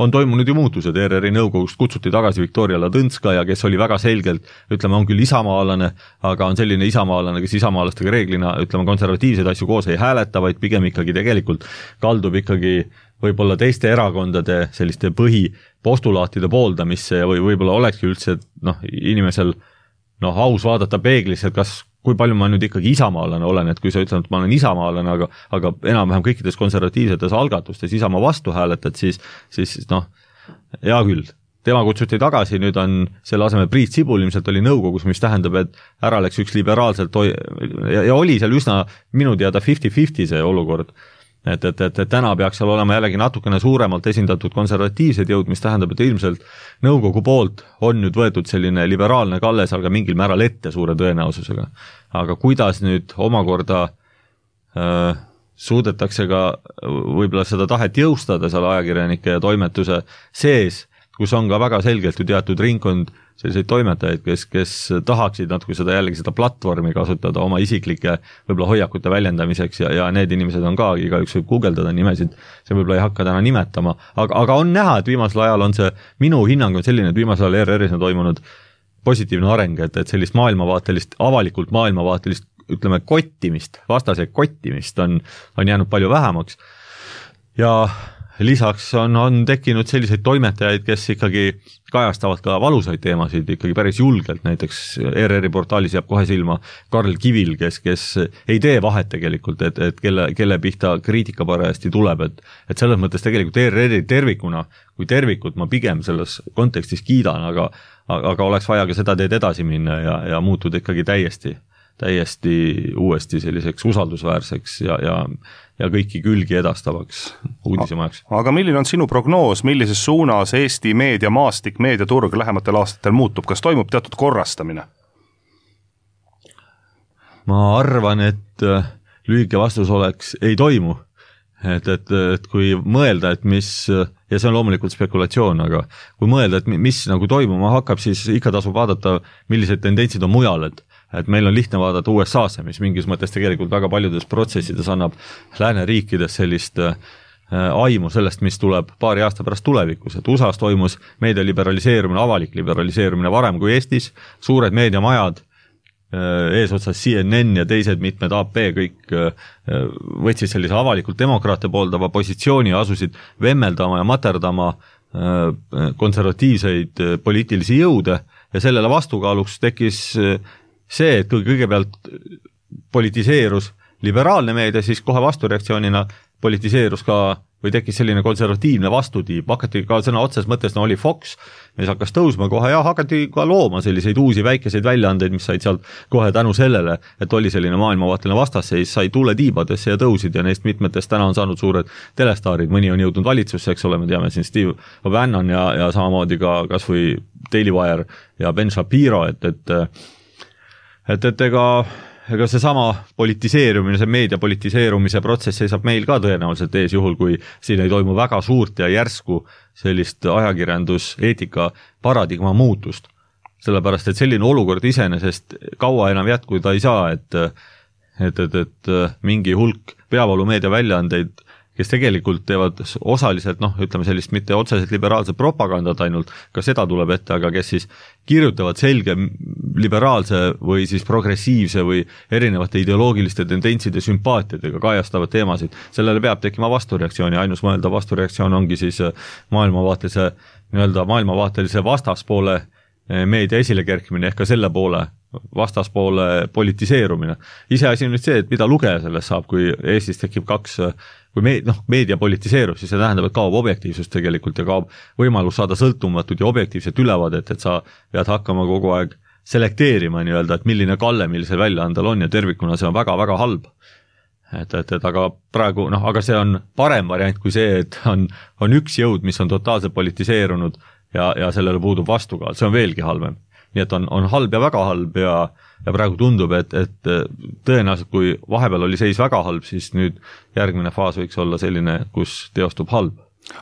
On toimunud ju muutused, ERR-i nõukogust kutsuti tagasi Viktoria Ladõnskaja, kes oli väga selgelt, ütleme, on küll isamaalane, aga on selline isamaalane, kes isamaalastega reeglina, ütleme, konservatiivseid asju koos ei hääleta, vaid pigem ikkagi tegelikult kaldub ikkagi võib-olla teiste erakondade selliste põhipostulaatide pooldamisse ja võib-olla olekski üldse inimesel aus vaadata peeglisse, et kui palju ma nüüd ikkagi isamaalane olen, et kui sa ütled, et ma olen isamaalane, aga enam-vähem kõikides konservatiivsetes algatustes Isamaa vastu hääletad, siis hea küll. Tema kutsuti tagasi, nüüd on selle asemel Priit Sibul ilmselt oli nõukogus, mis tähendab, et ära läks üks liberaalselt ja oli seal üsna minu teada 50-50 see olukord. Et täna peaks seal olema jällegi natukene suuremalt esindatud konservatiivsed jõud, mis tähendab, et ilmselt nõukogu poolt on nüüd võetud selline liberaalne kalle seal ka mingil määral ette suure tõenäosusega. Aga kuidas nüüd omakorda suudetakse ka võib-olla seda tahet jõustada seal ajakirjanike ja toimetuse sees, kus on ka väga selgelt ju teatud ringkond selliseid toimetajaid, kes tahaksid natuke seda platvormi kasutada oma isiklike võib-olla hoiakute väljendamiseks ja need inimesed on ka, igaüks võib guugeldada nimesid, see võib-olla ei hakka täna nimetama, aga on näha, et viimasel ajal on see, minu hinnang on selline, et viimasel ajal ERR-is on toimunud positiivne areng, et sellist maailmavaatelist, avalikult maailmavaatelist, ütleme, kottimist, vastase kottimist on jäänud palju vähemaks ja lisaks on tekkinud selliseid toimetajaid, kes ikkagi kajastavad ka valusaid teemasid ikkagi päris julgelt, näiteks ERR-i portaalis jääb kohe silma Karl Kivil, kes ei tee vahet tegelikult, et kelle pihta kriitika parajasti tuleb, et selles mõttes tegelikult ERR-i tervikuna, kui tervikut ma pigem selles kontekstis kiidan, aga oleks vaja ka seda teed edasi minna ja muutuda ikkagi täiesti uuesti selliseks usaldusväärseks ja kõiki külgi edastavaks uudisemajaks. Aga milline on sinu prognoos, millises suunas Eesti meediamaastik, meediaturg lähematel aastatel muutub? Kas toimub teatud korrastamine? Ma arvan, et lühike vastus oleks, ei toimu. Et kui mõelda, et mis, ja see on loomulikult spekulatsioon, aga kui mõelda, et mis nagu toimuma hakkab, siis ikka tasub vaadata, millised tendentsid on mujal, et meil on lihtne vaadata USA-sse, mis mingis mõttes tegelikult väga paljudes protsessides annab lääneriikides sellist aimu sellest, mis tuleb paari aasta pärast tulevikus, et USA-s toimus meedia liberaliseerumine, avalik liberaliseerumine varem kui Eestis, suured meediamajad, eesotsas CNN ja teised mitmed AP kõik võtsid sellise avalikult demokraate pooldava positsiooni ja asusid vemmeldama ja materdama konservatiivseid poliitilisi jõude ja sellele vastukaaluks tekkis see, et kui kõigepealt politiseerus liberaalne meedia, siis kohe vastureaktsioonina politiseerus ka või tekkis selline konservatiivne vastutiib, hakati ka sõna otses mõttes, oli Fox, mis hakkas tõusma kohe ja hakati ka looma selliseid uusi väikeseid väljaandeid, mis said sealt kohe tänu sellele, et oli selline maailmavaateline vastasseis, sai tuule tiibadesse ja tõusid ja neist mitmetest täna on saanud suured telestaarid, mõni on jõudnud valitsusse, eks ole, me teame siin Steve Bannon ja samamoodi ka kas või Daily Wire ja Ben Shapiro, et ega see sama politiseerumine, see meedia politiseerumise protsess seisab meil ka tõenäoliselt ees juhul, kui siin ei toimu väga suurt ja järsku sellist ajakirjanduseetika paradigma muutust. Sellepärast, et selline olukord iseenesest kaua enam jätkuda ei saa, et mingi hulk peavalumeedia väljaandeid, kes tegelikult teevad osaliselt, ütleme sellist mitte otseselt liberaalset propagandat ainult, ka seda tuleb ette, aga kes siis kirjutavad selge liberaalse või siis progressiivse või erinevate ideoloogiliste tendentside sümpaatiadega kajastavad teemasid. Sellele peab tekkima vastureaktsioon ja ainus mõelda vastureaktsioon ongi siis maailmavaatelise vastaspoole meedia esile kerkimine ehk ka selle poole vastaspoole politiseerumine. Iseasi on nüüd see, et mida lugeja sellest saab, kui Eestis tekib kui meedia politiseerub, siis see tähendab, et kaob objektiivsus tegelikult ja kaob võimalus saada sõltumatut ja objektiivset ülevaadet, et sa pead hakkama kogu aeg selekteerima nii-öelda, et milline kalle millisel väljaandel on ja tervikuna see on väga-väga halb. Et aga praegu, aga see on parem variant kui see, et on üks jõud, mis on totaalselt politiseerunud ja sellele puudub vastukaal, see on veelgi halvem. Nii et on halb ja väga halb ja praegu tundub, et tõenäoliselt kui vahepeal oli seis väga halb, siis nüüd järgmine faas võiks olla selline, kus teostub halb.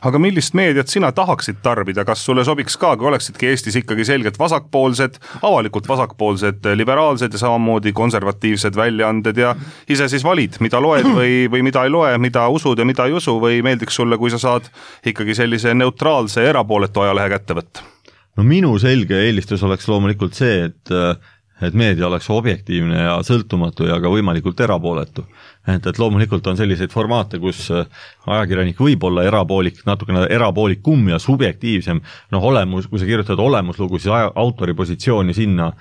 Aga millist meediat sina tahaksid tarbida, kas sulle sobiks ka, kui oleksidki Eestis ikkagi selgelt vasakpoolsed, avalikult vasakpoolsed, liberaalsed ja samamoodi konservatiivsed väljaanded ja ise siis valid, mida loed või mida ei loe, mida usud ja mida ei usu või meeldiks sulle, kui sa saad ikkagi sellise neutraalse erapooletu ajalehe kätte võtta? No minu selge eelistus oleks loomulikult see, et meedia oleks objektiivne ja sõltumatu ja ka võimalikult erapooletu. Et loomulikult on selliseid formaate, kus ajakirjanik võib olla natukene erapoolikum ja subjektiivsem. Kui sa kirjutad olemuslugu, siis autori positsiooni sinna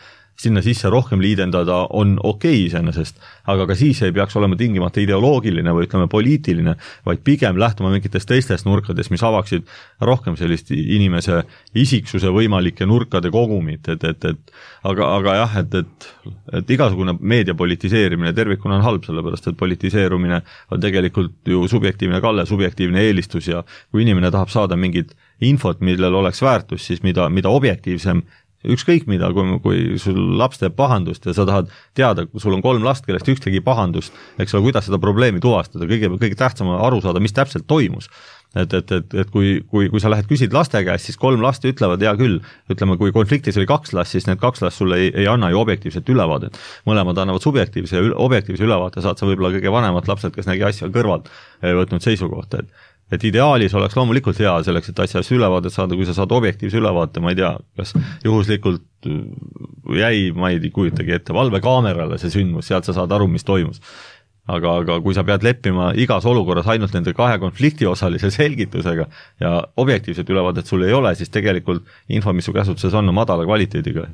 sisse rohkem liidendada on okei iseenesest, aga ka siis ei peaks olema tingimata ideoloogiline või ütleme poliitiline, vaid pigem lähtuma mingitest teistest nurkadest, mis avaksid rohkem sellist inimese isiksuse võimalike nurkade kogumit, aga jah, et igasugune meedia politiseerimine tervikuna on halb, sellepärast et politiseerumine on tegelikult ju subjektiivne kalle, subjektiivne eelistus ja kui inimene tahab saada mingit infot, millel oleks väärtus, siis mida objektiivsem ükskõik mida, kui sul laps teeb pahandust ja sa tahad teada, kui sul on 3 last, kellest üks tegi pahandust, eks ole, kuidas seda probleemi tuvastada, kõige tähtsam on aru saada, mis täpselt toimus. Et kui sa lähed küsid laste käest, siis 3 last ütlevad, hea küll, ütleme, kui konfliktis oli 2 last, siis need 2 last sulle ei anna ju objektiivset ülevaadet. Mõlemad annavad subjektiivse ja objektiivse ülevaate, saad sa võib-olla kõige vanemad lapsed, kes nägi asja kõrvalt võtnud seisukohta, et ideaalis oleks loomulikult hea selleks, et asjast ülevaadet saada, kui sa saad objektiivse ülevaate, ma ei tea, kas juhuslikult jäi, ma ei kujutagi ette, valvekaamerale see sündmus, sealt sa saad aru, mis toimus. Aga kui sa pead leppima igas olukorras ainult nende 2 konfliktiosalise selgitusega ja objektiivset ülevaadet sul ei ole, siis tegelikult info, mis su käsutuses on madala kvaliteediga.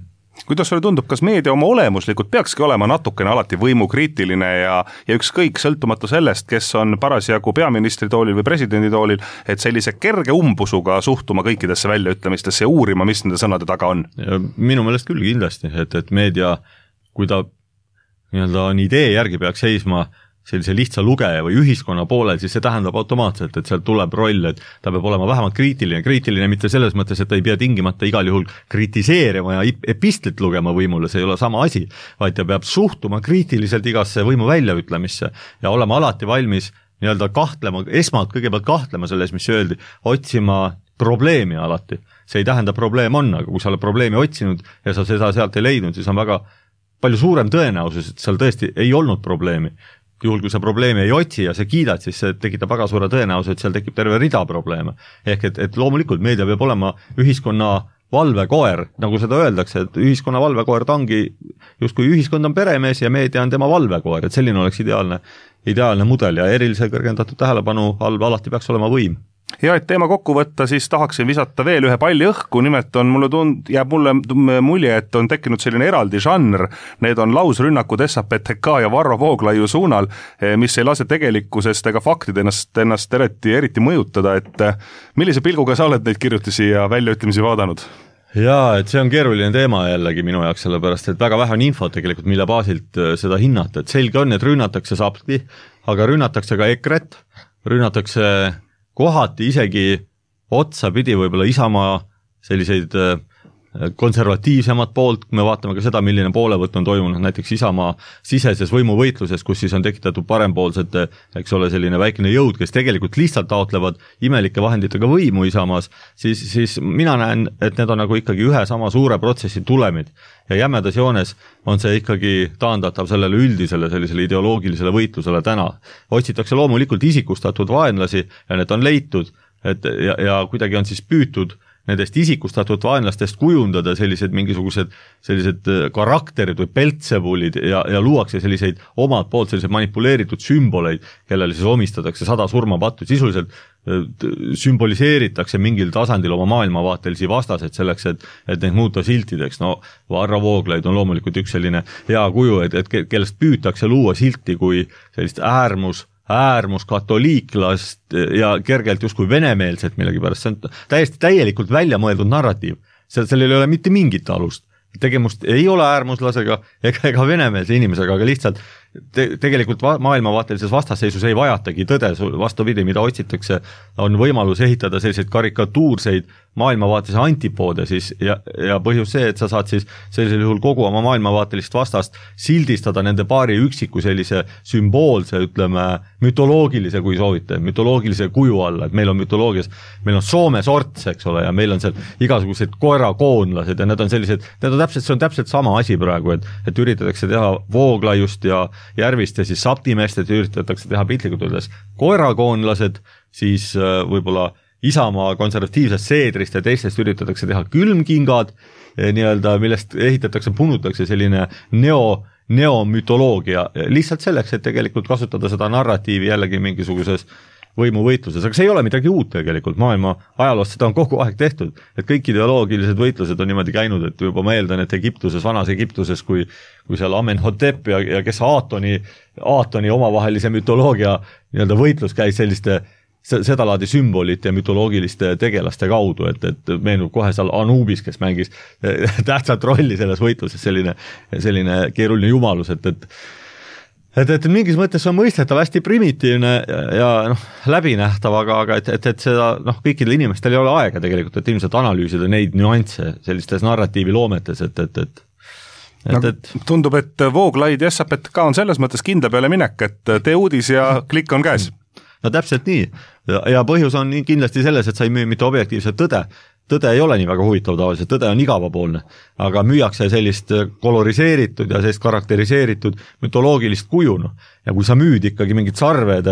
Kuidas sulle tundub, kas meedia oma olemuslikult peakski olema natukene alati võimukriitiline ja ükskõik sõltumatu sellest, kes on parasjagu peaministri toolil või presidendi toolil, et sellise kerge umbusuga suhtuma kõikidesse väljaütlemistesse ja uurima, mis nende sõnade taga on? Minu meelest küll kindlasti, et meedia, kui ta on idee järgi peaks seisma sellise lihtsa lugeja või ühiskonna poolel, siis see tähendab automaatselt, et sealt tuleb roll, et ta peab olema vähemalt kriitiline mitte selles mõttes, et ta ei pea tingimata igal juhul kritiseerima ja epistlit lugema võimule, see ei ole sama asi, vaid ta peab suhtuma kriitiliselt igasse võimu väljaütlemisse ja olema alati valmis kahtlema, kõigepealt kahtlema selles, mis öeldi, otsima probleemi alati. See ei tähenda probleem on, aga kui sa oled probleemi otsinud ja sa seda sealt ei leidnud, siis on väga palju suurem tõenäosus, et seal tõesti ei olnud probleemi. Juhul, kui sa probleemi ei otsi ja sa kiidad, siis see tekitab väga suure tõenäosus, et seal tekib terve rida probleeme. Ehk et loomulikult meedia peab olema ühiskonna valvekoer, nagu seda öeldakse, et ühiskonna valvekoer ta ongi, just kui ühiskond on peremees ja meedia on tema valvekoer, et selline oleks ideaalne mudel ja erilise kõrgendatud tähelepanu all alati peaks olema võim. Ja et teema kokku võtta, siis tahaksin visata veel ühe palli õhku, nimelt on jääb mulle mulje, et on tekkinud selline eraldi žanr, need on lausrünnakud SAPTK ja Varro Vooglaiu suunal, mis ei lase tegelikkusest ega faktid ennast eriti mõjutada, et millise pilguga sa oled neid kirjutisi ja väljaütlemisi vaadanud? Jaa, et see on keeruline teema jällegi minu jaoks, sellepärast, et väga vähe on infot tegelikult, mille baasilt seda hinnata, et selge on, et rünnatakse saabki, aga rünnatakse ka EKRE-t, rünnatakse kohati isegi otsa pidi võib-olla Isamaa selliseid konservatiivsemat poolt, me vaatame ka seda, milline poolevõtt on toimunud näiteks Isamaa siseses võimuvõitluses, kus siis on tekitatud parempoolsete, eks ole, selline väikene jõud, kes tegelikult lihtsalt taotlevad imelike vahenditega võimu Isamaas, siis mina näen, et need on nagu ikkagi ühe sama suure protsessi tulemid ja jämedas joones on see ikkagi taandatav sellele üldisele sellisele ideoloogilisele võitlusele täna. Otsitakse loomulikult isikustatud vaenlasi ja need on leitud, ja kuidagi on siis püütud nendest isikustatud vaenlastest kujundada mingisugused sellised karakterid või peltsebulid ja luuakse selliseid omalt poolt selliseid manipuleeritud sümboleid, kellele siis omistatakse 100 surmapattu, sisuliselt sümboliseeritakse mingil tasandil oma maailmavaatelisi vastaseid selleks, et neid muuta siltideks. No Varro Vooglaid on loomulikult üks selline hea kuju, et kellest püütakse luua silti kui sellist äärmuskatoliiklast ja kergelt justkui venemeelset millegipärast. See on täiesti täielikult välja mõeldud narratiiv. Sellel ei ole mitte mingit alust. Tegemust ei ole äärmuslasega ega venemeelse inimesega, aga lihtsalt tegelikult maailmavaatelises vastasseisus ei vajatagi tõde, vastupidi, mida otsitakse, on võimalus ehitada selliseid karikatuurseid maailmavaatelise antipoode siis ja põhjus see, et sa saad siis sellisel juhul kogu oma maailmavaatelist vastast sildistada nende paari üksiku sellise sümboolse, ütleme, mütoloogilise, kui soovite, mütoloogilise kuju alla, et meil on mütoloogias, meil on Soome sorts, eks ole, ja meil on seal igasugused koerakoonlased ja need on sellised, see on täpselt sama asi praegu, et üritatakse teha Vooglaiust ja Järvist ja siis Saptimeest, et üritatakse teha piltlikult öeldes koerakoonlased, siis võib-olla Isamaa konservatiivsest seedrist ja teistest üritatakse teha külmkingad, nii-öelda, millest ehitatakse, punutakse selline neomütoloogia, lihtsalt selleks, et tegelikult kasutada seda narratiivi jällegi mingisuguses võimuvõitluses, aga see ei ole midagi uut tegelikult, maailma ajaloost seda on kogu aeg tehtud, et kõik ideoloogilised võitlused on niimoodi käinud, et juba ma eeldan, et Egiptuses, vanas Egiptuses, kui seal Amenhotep ja kes Aatoni omavahelise mütoloogia nii-öelda võitlus käis selliste sedalaadi sümbolite ja mütoloogiliste tegelaste kaudu, et meenub kohe seal Anubis, kes mängis tähtsat rolli selles võitluses, selline keeruline jumalus, et mingis mõttes on mõistetav hästi primitiivne ja läbinähtav, aga et seda kõikidel inimestel ei ole aega tegelikult, et ilmselt analüüsida neid nüansse sellistes narratiiviloometes, tundub, et Vooglaid ja SAPTK on selles mõttes kindla peale minek, et tee uudis ja klikk on käes. No täpselt nii ja põhjus on kindlasti selles, et sa ei müü mitte objektiivset tõde. Tõde ei ole nii väga huvitav tavaliselt, tõde on igavapoolne, aga müüakse sellist koloriseeritud ja sellist karakteriseeritud mütoloogilist kujunu. Ja kui sa müüd ikkagi mingid sarved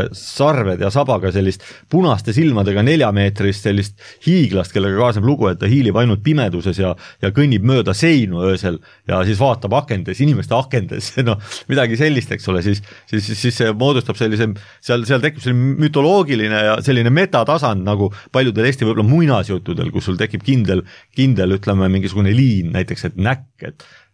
ja sabaga sellist punaste silmadega 4-meetrist sellist hiiglast, kellega kaasneb lugu, et ta hiilib ainult pimeduses ja kõnnib mööda seinu öösel ja siis vaatab akendes, inimeste akendes, midagi sellist, eks ole, siis see moodustab sellise, seal tekib selline mütoloogiline ja selline metatasand nagu paljudel Eesti võib-olla muinasjuttudel, kus sul tekib kindel, ütleme, mingisugune liin, näiteks, et näkk,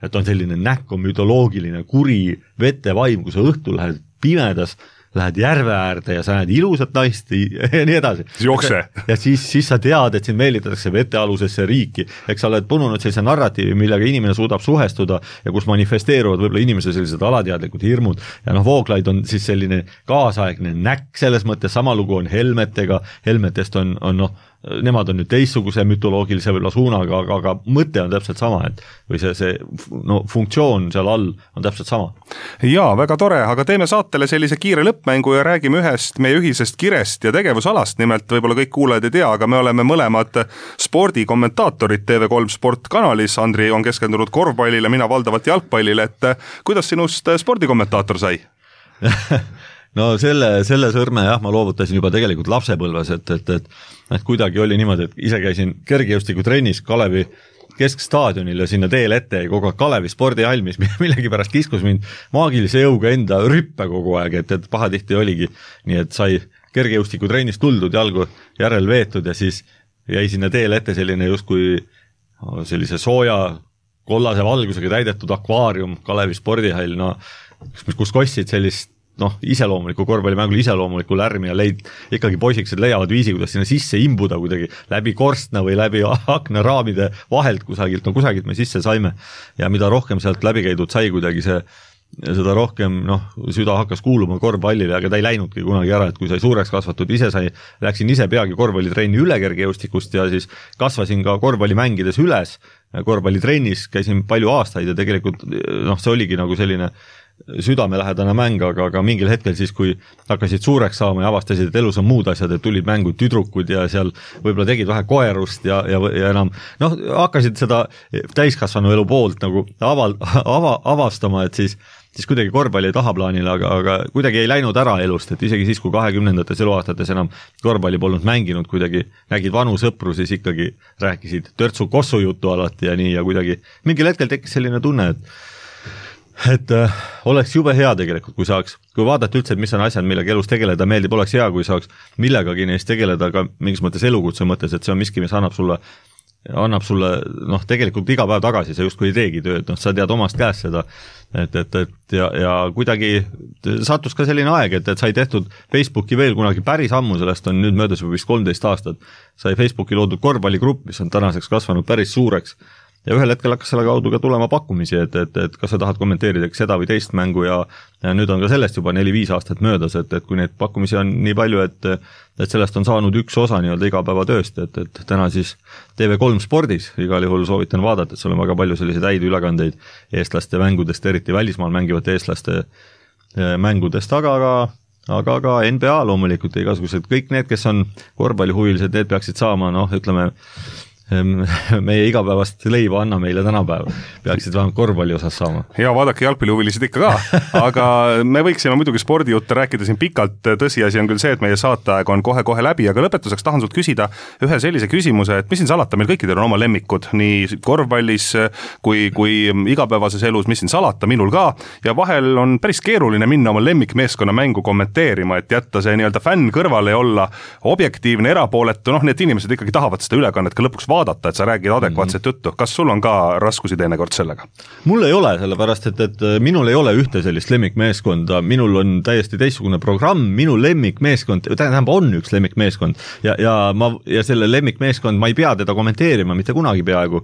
et on selline näkk, on mütoloogiline kuri vetevaim, kui sa õhtul lähed pimedas, lähed järve äärde ja sa näed ilusat naist ja nii edasi. Jookse. Ja siis sa tead, et sind meelitatakse vetealusesse riiki. Eks sa oled pununud sellise narratiivi, millega inimene suudab suhestuda ja kus manifesteeruvad võib-olla inimese sellised alateadlikud hirmud. Ja Vooglaid on siis selline kaasaegne näkk, selles mõttes sama lugu on helmetega, helmetest on nemad on nüüd teistsuguse mütoloogilise võib-olla suunaga, aga mõte on täpselt sama, või see funktsioon seal all on täpselt sama. Jaa, väga tore, aga teeme saatele sellise kiire lõppmängu ja räägime ühest meie ühisest kirest ja tegevusalast, nimelt võib-olla kõik kuulajad ei tea, aga me oleme mõlemad spordikommentaatorid TV3 Sportkanalis, Andri on keskendunud korvpallile, mina valdavalt jalgpallile, et kuidas sinust spordikommentaator sai? No selle sõrme ma loovutasin juba tegelikult lapsepõlves, et kuidagi oli niimoodi, et ise käisin kergejõustiku trennis Kalevi keskstaadionil ja sinna teel ette ja kogu aeg Kalevi spordihall, mis millegipärast kiskus mind maagilise jõuga enda rüppe kogu aeg, et pahatihti oligi nii, et sai kergejõustiku trennist tuldud, jalgu järel veetud ja siis jäi sinna teel ette selline justkui sellise sooja kollase valgusega täidetud akvaarium, Kalevi spordihall, kus kostsid sellist iseloomuliku korvpallimängul iseloomuliku lärmi ja ikkagi poisikesed leiavad viisi, kuidas sinna sisse imbuda kuidagi läbi korstna või läbi aknaraamide vahelt kusagilt me sisse saime ja mida rohkem sealt läbi käidud sai kuidagi see seda rohkem süda hakkas kuuluma korvpallile, aga ta ei läinudki kunagi ära, et kui sai suureks kasvatud, läksin ise peagi korvpallitrenni üle kergejõustikust ja siis kasvasin ka korvpalli mängides üles, korvpallitrennis käisin palju aastaid ja tegelikult see oligi nagu selline südamelähedane mäng, aga mingil hetkel siis, kui hakkasid suureks saama ja avastasid, et elus on muud asjad, et tulid mängud tüdrukud ja seal võib-olla tegid vähe koerust ja enam, hakkasid seda täiskasvanu elu poolt nagu avastama, et siis kuidagi korvpalli ei tahaplaanile, aga kuidagi ei läinud ära elust, et isegi siis, kui 20-ndates eluaastates enam korvpalli polnud mänginud, kuidagi nägid vanu sõpru, siis ikkagi rääkisid törtsu kossu juttu alati ja nii ja kuidagi mingil hetkel tekkis selline tunne, et oleks jube hea tegelikult, kui vaadata üldse, et mis on asjad, millega elus tegeleda meeldib, oleks hea, kui saaks millegagi neist tegeleda ka mingis mõttes elukutse mõttes, et see on miski, mis annab sulle tegelikult iga päev tagasi, sa justkui ei teegi tööd, sa tead omast käest seda, ja kuidagi sattus ka selline aeg, et sai tehtud Facebooki veel kunagi päris ammu, sellest on nüüd möödas juba vist 13 aastat, sai Facebooki loodud korvpalligrupp, mis on tänaseks kasvanud päris suureks, ja ühel hetkel hakkas selle kaudu ka tulema pakkumisi, et kas sa tahad kommenteerida seda või teist mängu ja nüüd on ka sellest juba 4-5 aastat möödas, et kui neid pakkumisi on nii palju, et sellest on saanud üks osa nii-öelda igapäevatööst, et täna siis TV3 spordis igal juhul soovitan vaadata, et seal on väga palju selliseid häid ülekandeid eestlaste mängudest, eriti välismaal mängivate eestlaste mängudest, aga ka NBA loomulikult igasugused, kõik need, kes on korvpallihuvilised, need peaksid saama, ütleme, meie igapäevast leiva anna meile tänapäev, peaksid vähemalt korvpalli osas saama. Ja vaadake jalgpallihuvilised ikka ka, aga me võiksime muidugi spordijutte rääkida siin pikalt, tõsiasi on küll see, et meie saateaeg on kohe-kohe läbi, aga lõpetuseks tahan sult küsida ühe sellise küsimuse, et mis siin salata, meil kõikidel on oma lemmikud, nii korvpallis kui igapäevases elus, mis siin salata, minul ka, ja vahel on päris keeruline minna oma lemmikmeeskonna mängu kommenteerima, et jätta see nii-öelda fänn kõrvale ja olla objektiivne, erapooletu, need inimesed ikkagi tahavad seda ülekannet ka lõpuks vaadata, et sa räägid adekvaatset juttu. Kas sul on ka raskusi teinekord sellega? Mul ei ole, sellepärast, et minul ei ole ühte sellist lemmikmeeskonda, minul on täiesti teistsugune programm, minu lemmikmeeskond, tähendab on üks lemmikmeeskond ja selle lemmikmeeskond, ma ei pea teda kommenteerima, mitte kunagi peaaegu.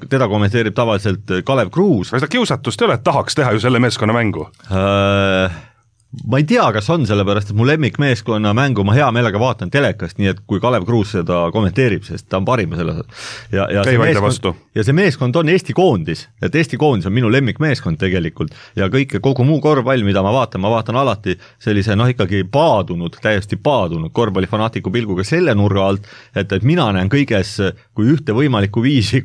Teda kommenteerib tavaliselt Kalev Kruus. Aga seda kiusatust ei ole, et tahaks teha ju selle meeskonna mängu? Ma ei tea, kas on, sellepärast, et mu lemmikmeeskonna mängu ma hea meelega vaatan telekast, nii et kui Kalev Kruus seda kommenteerib, sest ta on parim selles. Ja see meeskond on Eesti koondis, et Eesti koondis on minu lemmikmeeskond tegelikult ja kogu muu korvpall, mida ma vaatan alati sellise ikkagi täiesti paadunud korvpallifanaatiku pilguga selle nurga alt, et mina näen kõiges kui ühte võimalikku viisi,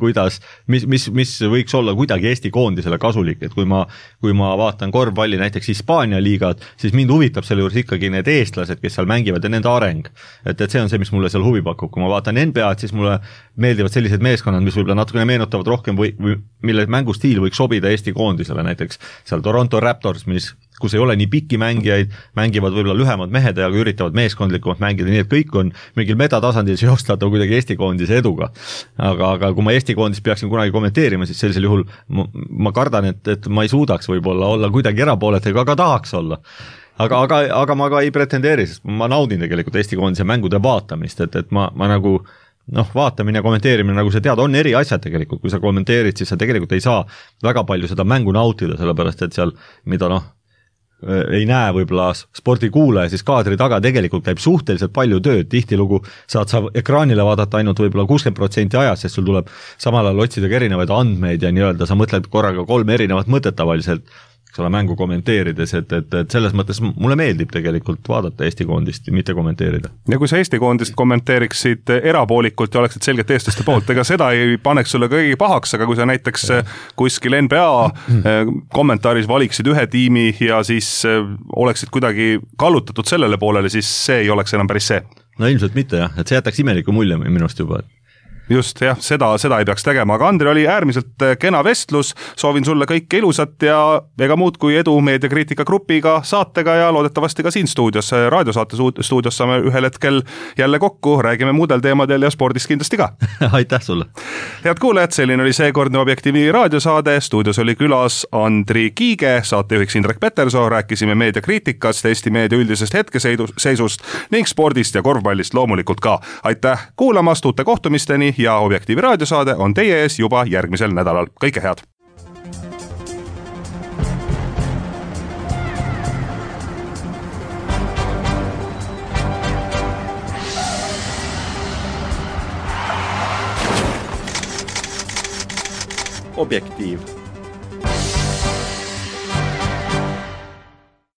mis võiks olla kuidagi Eesti koondisele kasulik, et kui ma vaatan korvpalli näiteks Hispaania liigat, siis mind huvitab selle juures ikkagi need eestlased, kes seal mängivad ja nende areng. Et see on see, mis mulle seal huvi pakub. Kui ma vaatan NBA-d, siis mulle meeldivad sellised meeskonnad, mis võib-olla natukene meenutavad rohkem või mille mängustiil võiks sobida Eesti koondisele, näiteks seal Toronto Raptors, kus ei ole nii pikki mängijaid, mängivad võib-olla lühemad mehed, aga üritavad meeskondlikumalt mängida, nii et kõik on mingil metatasandil seostatav kuidagi Eesti koondise eduga. Aga kui ma Eesti koondis peaksin kunagi kommenteerima, siis sellisel juhul ma kardan, et ma ei suudaks võib-olla olla kuidagi erapooletega, aga tahaks olla. Aga ma ka ei pretendeeri, sest ma naudin tegelikult Eesti koondise mängude vaatamist, et ma nagu vaatamine ja kommenteerimine, nagu sa tead, on eri asjad tegelikult, kui sa kommenteerid, siis sa tegelikult ei saa väga palju seda mängu nautida, sellepärast et seal, mida ei näe võib-olla spordikuulaja, siis kaadri taga tegelikult käib suhteliselt palju tööd, tihtilugu saad sa ekraanile vaadata ainult võib-olla 60% ajast, sest sul tuleb samal ajal otsida ka erinevaid andmeid ja nii-öelda sa mõtled korraga 3 erinevat mõtet tavaliselt, selle mängu kommenteerides, et selles mõttes mulle meeldib tegelikult vaadata Eesti koondist, mitte kommenteerida. Ja kui sa Eesti koondist kommenteeriksid erapoolikult ja oleksid selgelt eestlaste poolt, ega seda ei paneks sulle kõigi pahaks, aga kui sa näiteks kuskil NBA kommentaaris valiksid ühe tiimi ja siis oleksid kuidagi kallutatud sellele poolele, siis see ei oleks enam päris see. No ilmselt mitte jah, et see jätaks imeliku mulje minust juba, Just, jah, seda ei peaks tegema, aga Andri oli äärmiselt kena vestlus, soovin sulle kõike ilusat ja ega muud kui edu meediakriitika grupiga, saatega ja loodetavasti ka siin stuudios, raadiosaate stuudios saame ühel hetkel jälle kokku, räägime muudel teemadel ja spordist kindlasti ka. Aitäh sulle! Head kuulajad, selline oli seekordne Objektiivi raadiosaade, stuudios oli külas Andri Kiige, saatejuhiks Indrek Petersoo, rääkisime meediakriitikast, Eesti meedia üldisest hetkeseisust ning spordist ja korvpallist loomulikult ka. Aitäh kuulamast, uute kohtumisteni ja Objektiivi raadiosaade on teie ees juba järgmisel nädalal. Kõike head! Objektiiv